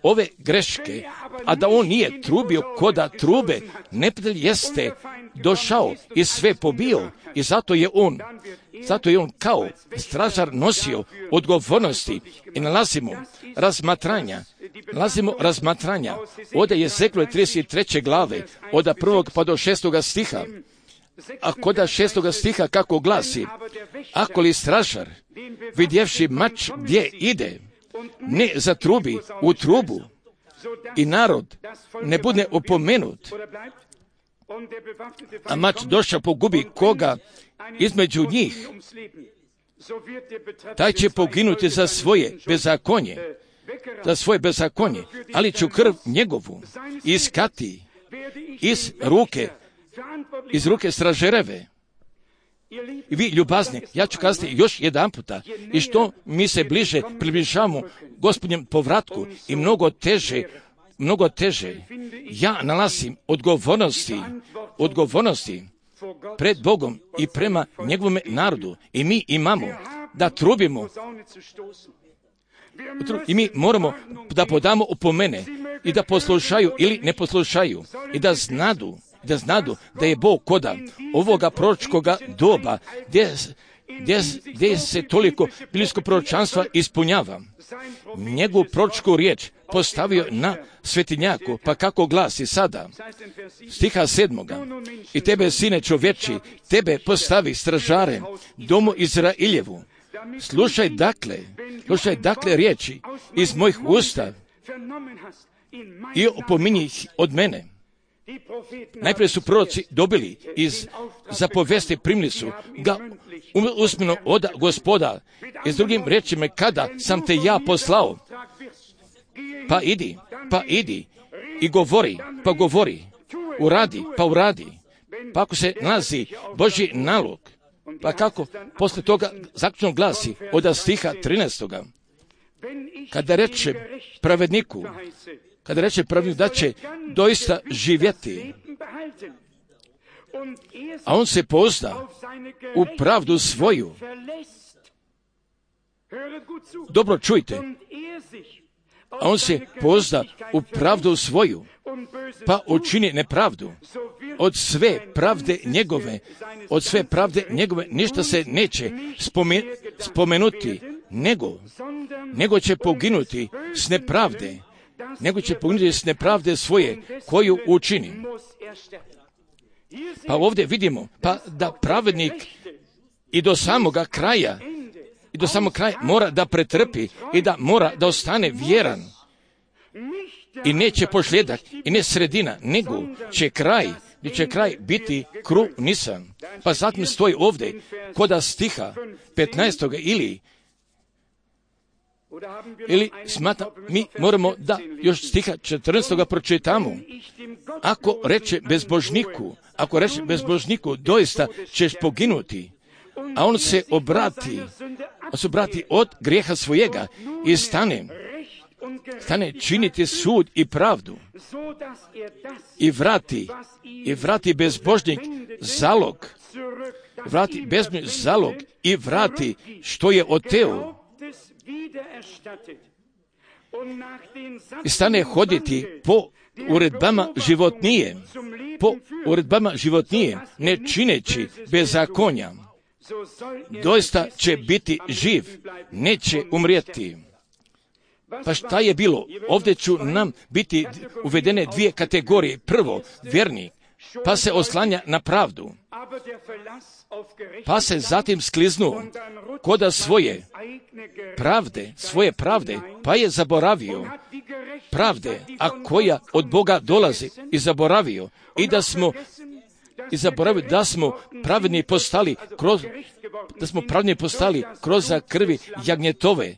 ove greške, a da on nije trubio koda trube, neprijatelj jeste došao i sve pobio i zato je on kao stražar nosio odgovornosti i nalazimo razmatranja od Jezekijelove 33. glave, od 1. pa do 6. stiha, a kod 6. stiha kako glasi: ako li stražar, vidjevši mač gdje ide, ne zatrubi u trubu i narod ne bude opomenut, a mač došao pogubi koga između njih, taj će poginuti za svoje bezakonje, ali ću krv njegovu iskati iz ruke stražereve. I vi ljubazni, ja ću kazati još jedan puta, i što mi se bliže približavamo Gospodnjem povratku i mnogo teže ja nalazim odgovornosti pred Bogom i prema njegovom narodu, i mi imamo da trubimo i mi moramo da podamo opomene i da poslušaju ili ne poslušaju i da znadu da je Bog koda ovoga proročkoga doba gdje se toliko biblijsko proročanstva ispunjava. Njegovu proročku riječ postavio na svetinjaku, pa kako glasi sada, stiha 7. I tebe, sine čovječi, tebe postavi stražarem domu Izrailjevu. Slušaj dakle riječi iz mojih usta i opominji ih od mene. Najprije su proroci dobili iz zapovesti, primili su ga usmeno od Gospoda, i s drugim riječima, kada sam te ja poslao, pa idi i govori, uradi, pa ako se nalazi Božji nalog, pa kako posle toga zaključno glasi od stiha 13. Kada reče pravedniku da će doista živjeti, a on se pozna u pravdu svoju. Dobro čujte, a on se pozna u pravdu svoju, pa učini nepravdu. Od sve pravde njegove ništa se neće spomenuti, nego će poginuti s nepravde svoje koju učini. Pa ovdje vidimo da pravednik i do samoga kraja mora da pretrpi i da mora da ostane vjeran. I neće pošljedak i ne sredina, nego će kraj biti krunisan. Pa zatim stoji ovdje koda stiha 15. ili smatram, mi moramo da još stiha 14. pročitamo. Ako reče bezbožniku, doista ćeš poginuti, a on se obrati od grijeha svojega i stane činiti sud i pravdu i vrati bezbožnik zalog, i vrati što je oteo i stane hoditi po uredbama životnije, ne čineći bezakonja, doista će biti živ, neće umrijeti. Pa šta je bilo? Ovdje ću nam biti uvedene dvije kategorije. Prvo, vjernik, pa se oslanja na pravdu, pa se zatim skliznuo koda svoje pravde, pa je zaboravio pravde, a koja od Boga dolazi, i zaboravio, i da smo i zaboravili da smo pravedni postali kroz krvi jagnjetove,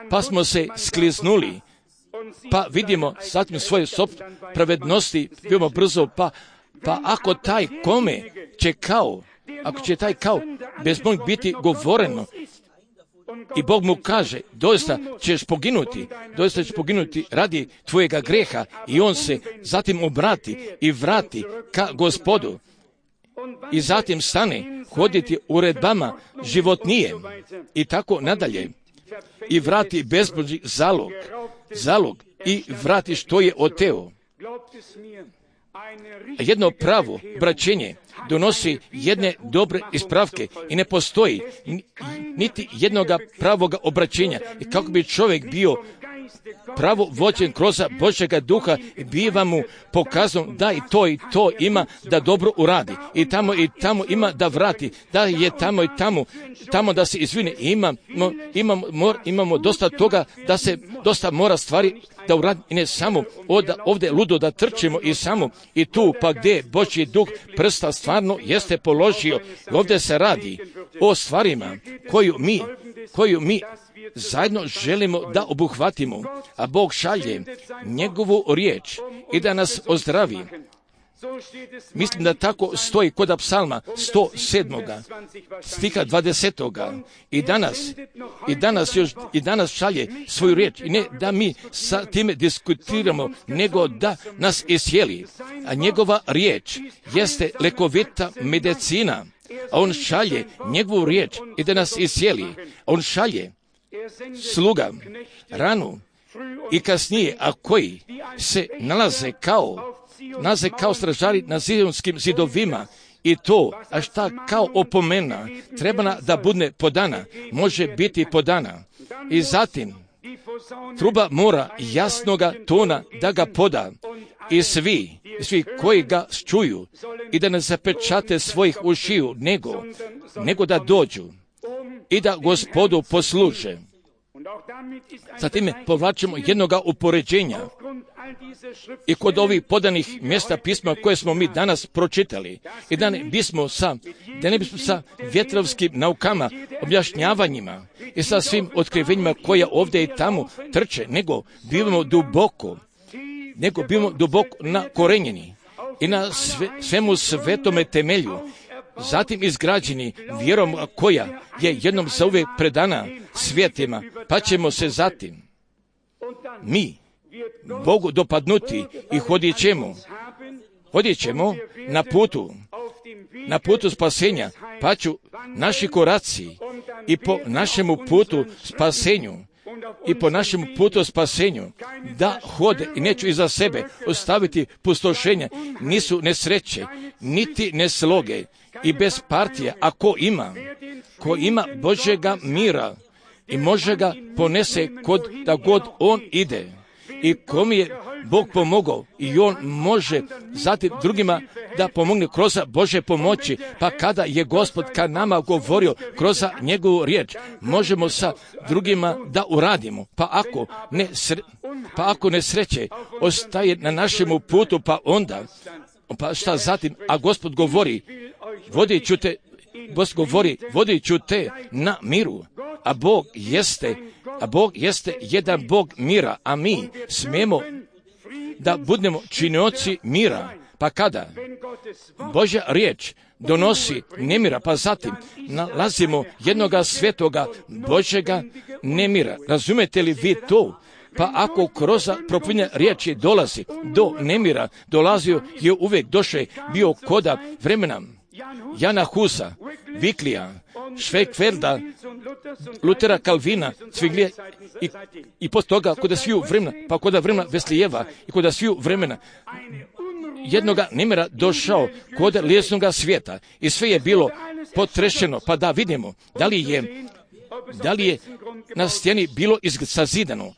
pa smo se skliznuli, pa vidimo zatim svoje pravednosti veoma brzo, pa ako taj kome će ako će taj bez Bog biti govoreno i Bog mu kaže, doista ćeš poginuti radi tvojega greha, i on se zatim obrati i vrati ka Gospodu i zatim stane hoditi uredbama životnije i tako nadalje i vrati bezbožni zalog i vrati što je oteo. Jedno pravo braćenje donosi jedne dobre ispravke i ne postoji niti jednoga pravoga obraćenja. I kako bi čovjek bio pravo vođen kroz Božjega duha, biva mu pokazano da i to ima da dobro uradi. I tamo ima da vrati, da je tamo da se izvine. Imamo dosta toga da se dosta mora stvari da uradi, i ne samo ovdje ludo da trčimo i tu pa gdje Božji duh prsta stvarno jeste položio. Ovdje se radi o stvarima koju mi zajedno želimo da obuhvatimo, a Bog šalje njegovu riječ i da nas ozdravi. Mislim da tako stoji kod psalma 107. stiha 20. I danas šalje svoju riječ, i ne da mi sa time diskutiramo, nego da nas iscijeli. A njegova riječ jeste lekovita medicina, a on šalje njegovu riječ i da nas iscijeli. On šalje sluga, ranu i kasnije, a koji se nalaze kao stražari na zidonskim zidovima, i to, a šta kao opomena treba da bude podana, može biti podana. I zatim truba mora jasnoga tona da ga poda, i svi koji ga čuju, i da ne zapečate svojih ušiju, nego da dođu i da Gospodu posluže. Zatim povlačimo jednoga upoređenja i kod ovih podanih mjesta pisma koje smo mi danas pročitali, i da ne bismo sa vjetrovskim naukama, objašnjavanjima i sa svim otkrivenjima koja ovdje i tamo trče, nego bivamo duboko nakorenjeni i na svemu svetome temelju, zatim izgrađeni vjerom koja je jednom zauvijek predana svijetima, pa ćemo se zatim mi Bogu dopadnuti i hodit ćemo na putu spasenja, pa ću naši koraci i po našemu putu spasenju da hode, i neću iza sebe ostaviti pustošenja, nisu nesreće, niti nesloge i bez partije, a ko ima Božjega mira i može ga ponese da god on ide, i kom je Bog pomogao, i on može zatim drugima da pomogne kroz Božje pomoći, pa kada je Gospod ka nama govorio kroz njegovu riječ, možemo sa drugima da uradimo, pa ako nesreće ostaje na našemu putu, pa šta zatim, a Gospod govori, vodit ću te na miru, a Bog jeste jedan Bog mira, a mi smemo da budemo činioci mira. Pa kada Božja riječ donosi nemira, pa zatim nalazimo jednoga svetoga Božjega nemira. Razumete li vi to? Pa ako kroz propovjedanje riječi dolazi do nemira, dolazio je uvijek bio koda vremena Jana Husa, Viklija, Švekverda, Lutera, Kalvina, Cviglija i poslije toga kod sviju vremena, pa kod vremena Veslijeva i kod sviju vremena jednoga nemira došao kod lijesnoga svijeta, i sve je bilo potrešeno, pa da vidimo da li je na stjeni bilo sazidano.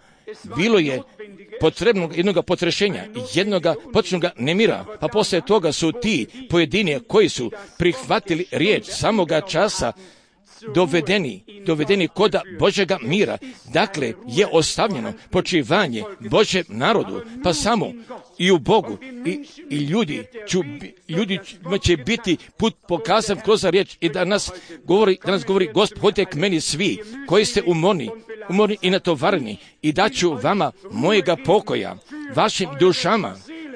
Bilo je potrebno jednog potrešenja, jednog početnog nemira, pa poslije toga su ti pojedini koji su prihvatili riječ samoga časa dovedeni koda Božjega mira. Dakle, je ostavljeno počivanje Božjem narodu, pa samo i u Bogu. I ljudi će biti put pokazan kroz riječ i da nas govori Gospod, hodite k meni svi koji ste umorni i natovareni i daću vama mojega pokoja,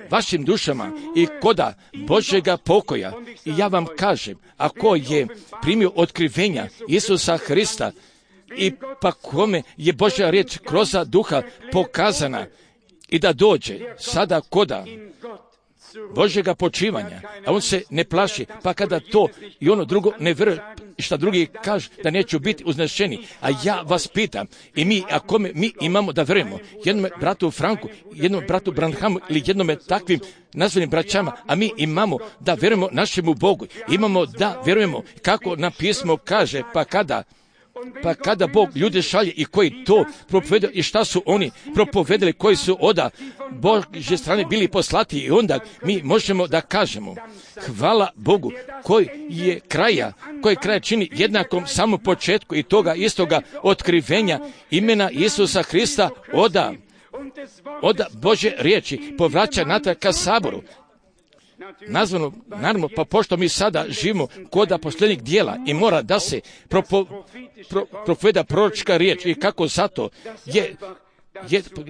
vašim dušama i koda Božjega pokoja. I ja vam kažem, ako je primio otkrivenja Isusa Hrista i pa kome je Božja riječ kroz duha pokazana i da dođe sada koda Božjega počivanja, a on se ne plaši, pa kada to i ono drugo ne vjeruje, šta drugi kaže da neću biti uznešeni. A ja vas pitam, i mi, a kome mi imamo da vjerujemo? Jednome bratu Franku, jednom bratu Branhamu ili jednome takvim nazvanim braćama, a mi imamo da vjerujemo našemu Bogu. Imamo da vjerujemo kako na pismo kaže, pa kada Bog ljude šalje i koji to propovedaju i šta su oni propovedali, koji su od Božje strane bili poslati, i onda mi možemo da kažemo hvala Bogu koji je kraja čini jednakom samo početku i toga istoga otkrivenja imena Isusa Hrista od Božje riječi povraća natrag ka saboru. Nazvano, naravno, pa pošto mi sada živimo koda posljednjih dijela i mora da se propoveda proročka riječ i kako zato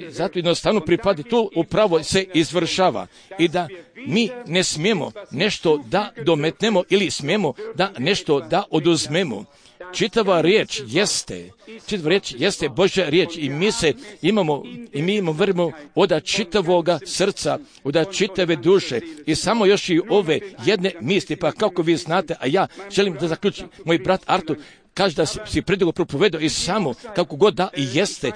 zato jednostavno pripadi, tu upravo se izvršava i da mi ne smijemo nešto da dometnemo ili smijemo da nešto da oduzmemo. Čitava riječ jeste Božja riječ i mi imamo vremo od čitavoga srca, od čitave duše i samo još i ove jedne misli, pa kako vi znate, a ja želim da zaključim, moj brat Artur kaže da si predugo propovedao i samo kako god da i jeste,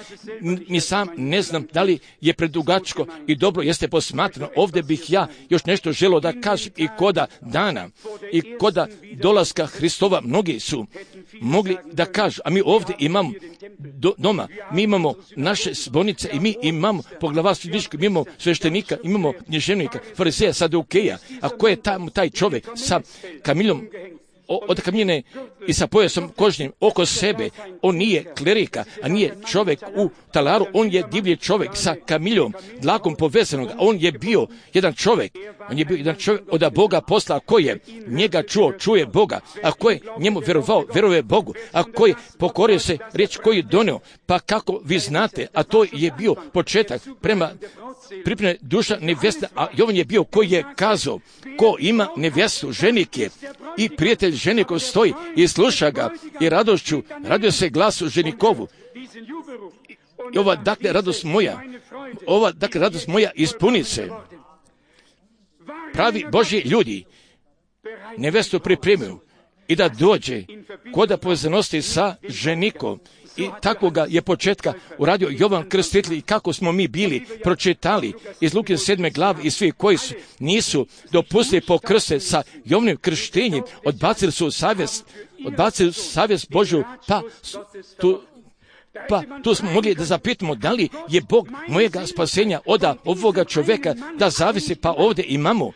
ni sam ne znam da li je predugačko i dobro jeste posmatrano. Ovdje bih ja još nešto želio da kažem i koda dana i koda dolaska Hristova mnogi su mogli da kažu, a mi ovdje imamo doma, mi imamo naše zbornice i mi imamo poglavarstvo, mi imamo sveštenika, imamo književnika, fariseja, sadeukeja, a ko je taj čovjek sa kamiljom od kamine i sa pojasom kožnim oko sebe? On nije klerika, a nije čovjek u talaru, on je divlji čovjek sa kamiljom, dlakom povezanog. On je bio jedan čovjek od Boga posla, ko je njega čuje Boga, a ko je njemu vjerovao, vjeruje Bogu, a ko je pokorio se riječ koju je donio, pa kako vi znate, a to je bio početak prema pripremne duša nevjesta, a Jovan je bio koji je kazao, ko ima nevjestu, ženik je i prijatelj ženikov stoji i sluša ga i radošću radio se glasu ženikovu. I ova dakle radost moja ispuni se. Pravi Božji ljudi nevjestu pripremaju i da dođe koda povezanosti sa ženikom. I takvoga je početka uradio Jovan Krstitelj i kako smo mi bili pročitali iz Luke 7. glave i svi koji nisu dopustili pokrste sa Jovanim krštenjem, odbacili su savjest Božju, pa tu smo mogli da zapitamo da li je Bog mojega spasenja od ovoga čovjeka da zavisi, pa ovdje imamo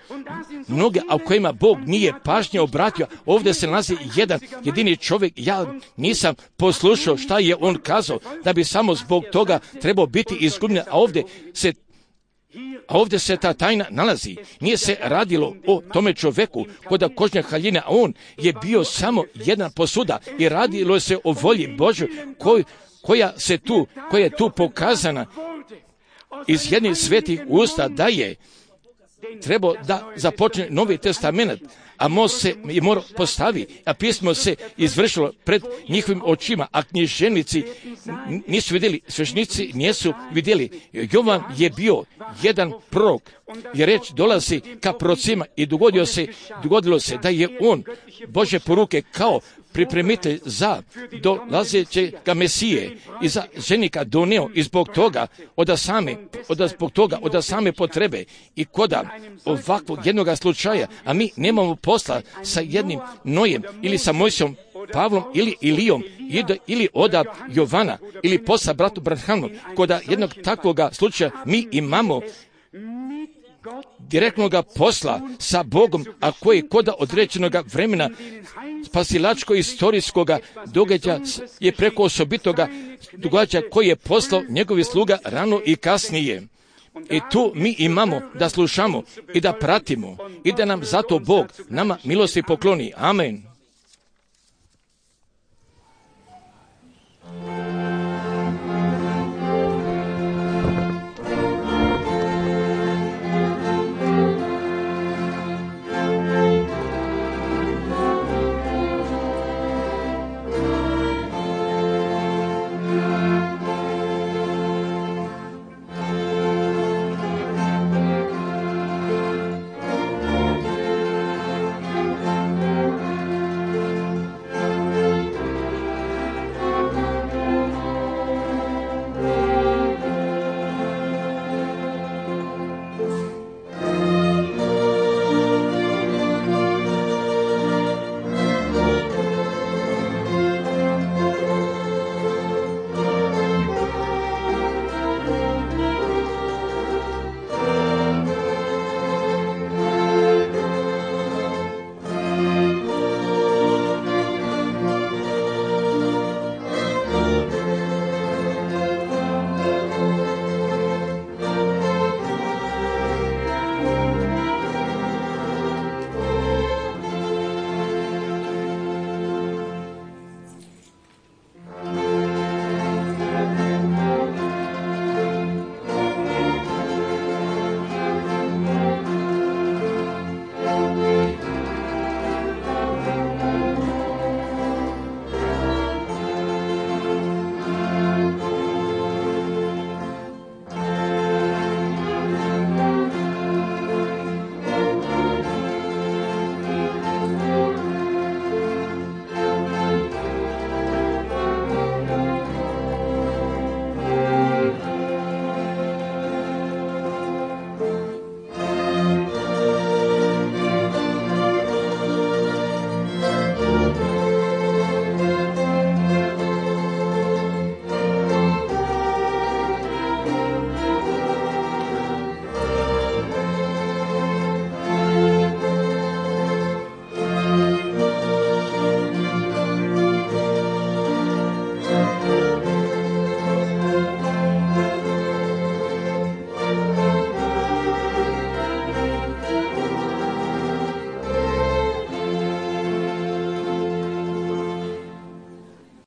mnoge, a u kojima Bog nije pažnje obratio. Ovdje se nalazi jedan jedini čovjek, ja nisam poslušao šta je on kazao, da bi samo zbog toga trebao biti izgubljen, a ovdje se ta tajna nalazi. Nije se radilo o tome čovjeku koda kožnja haljine, a on je bio samo jedna posuda i radilo se o volji Božoj koja je tu pokazana iz jednih svetih usta da je trebao da započne Novi testament, a most se i mora postavi, a pismo se izvršilo pred njihovim očima, a književnici nisu vidjeli, sveštenici nisu vidjeli. Jovan je bio jedan prorok, jer reč dolazi ka prorocima i dogodilo se da je on Božje poruke kao pripremitelj za dolazećega Mesije i za ženika doneo i zbog toga od same potrebe i koda ovakvog jednoga slučaja, a mi nemamo posla sa jednim Nojem ili sa Mojsijom, Pavlom ili Ilijom ili od Jovana ili posla bratu Branhamu, koda jednog takvoga slučaja mi imamo direktnoga posla sa Bogom, a koji koda određenoga vremena spasilačko-istorijskoga događaja je preko osobitoga događaja koji je poslao njegovi sluga rano i kasnije. I tu mi imamo da slušamo i da pratimo i da nam zato Bog nama milosti pokloni. Amen.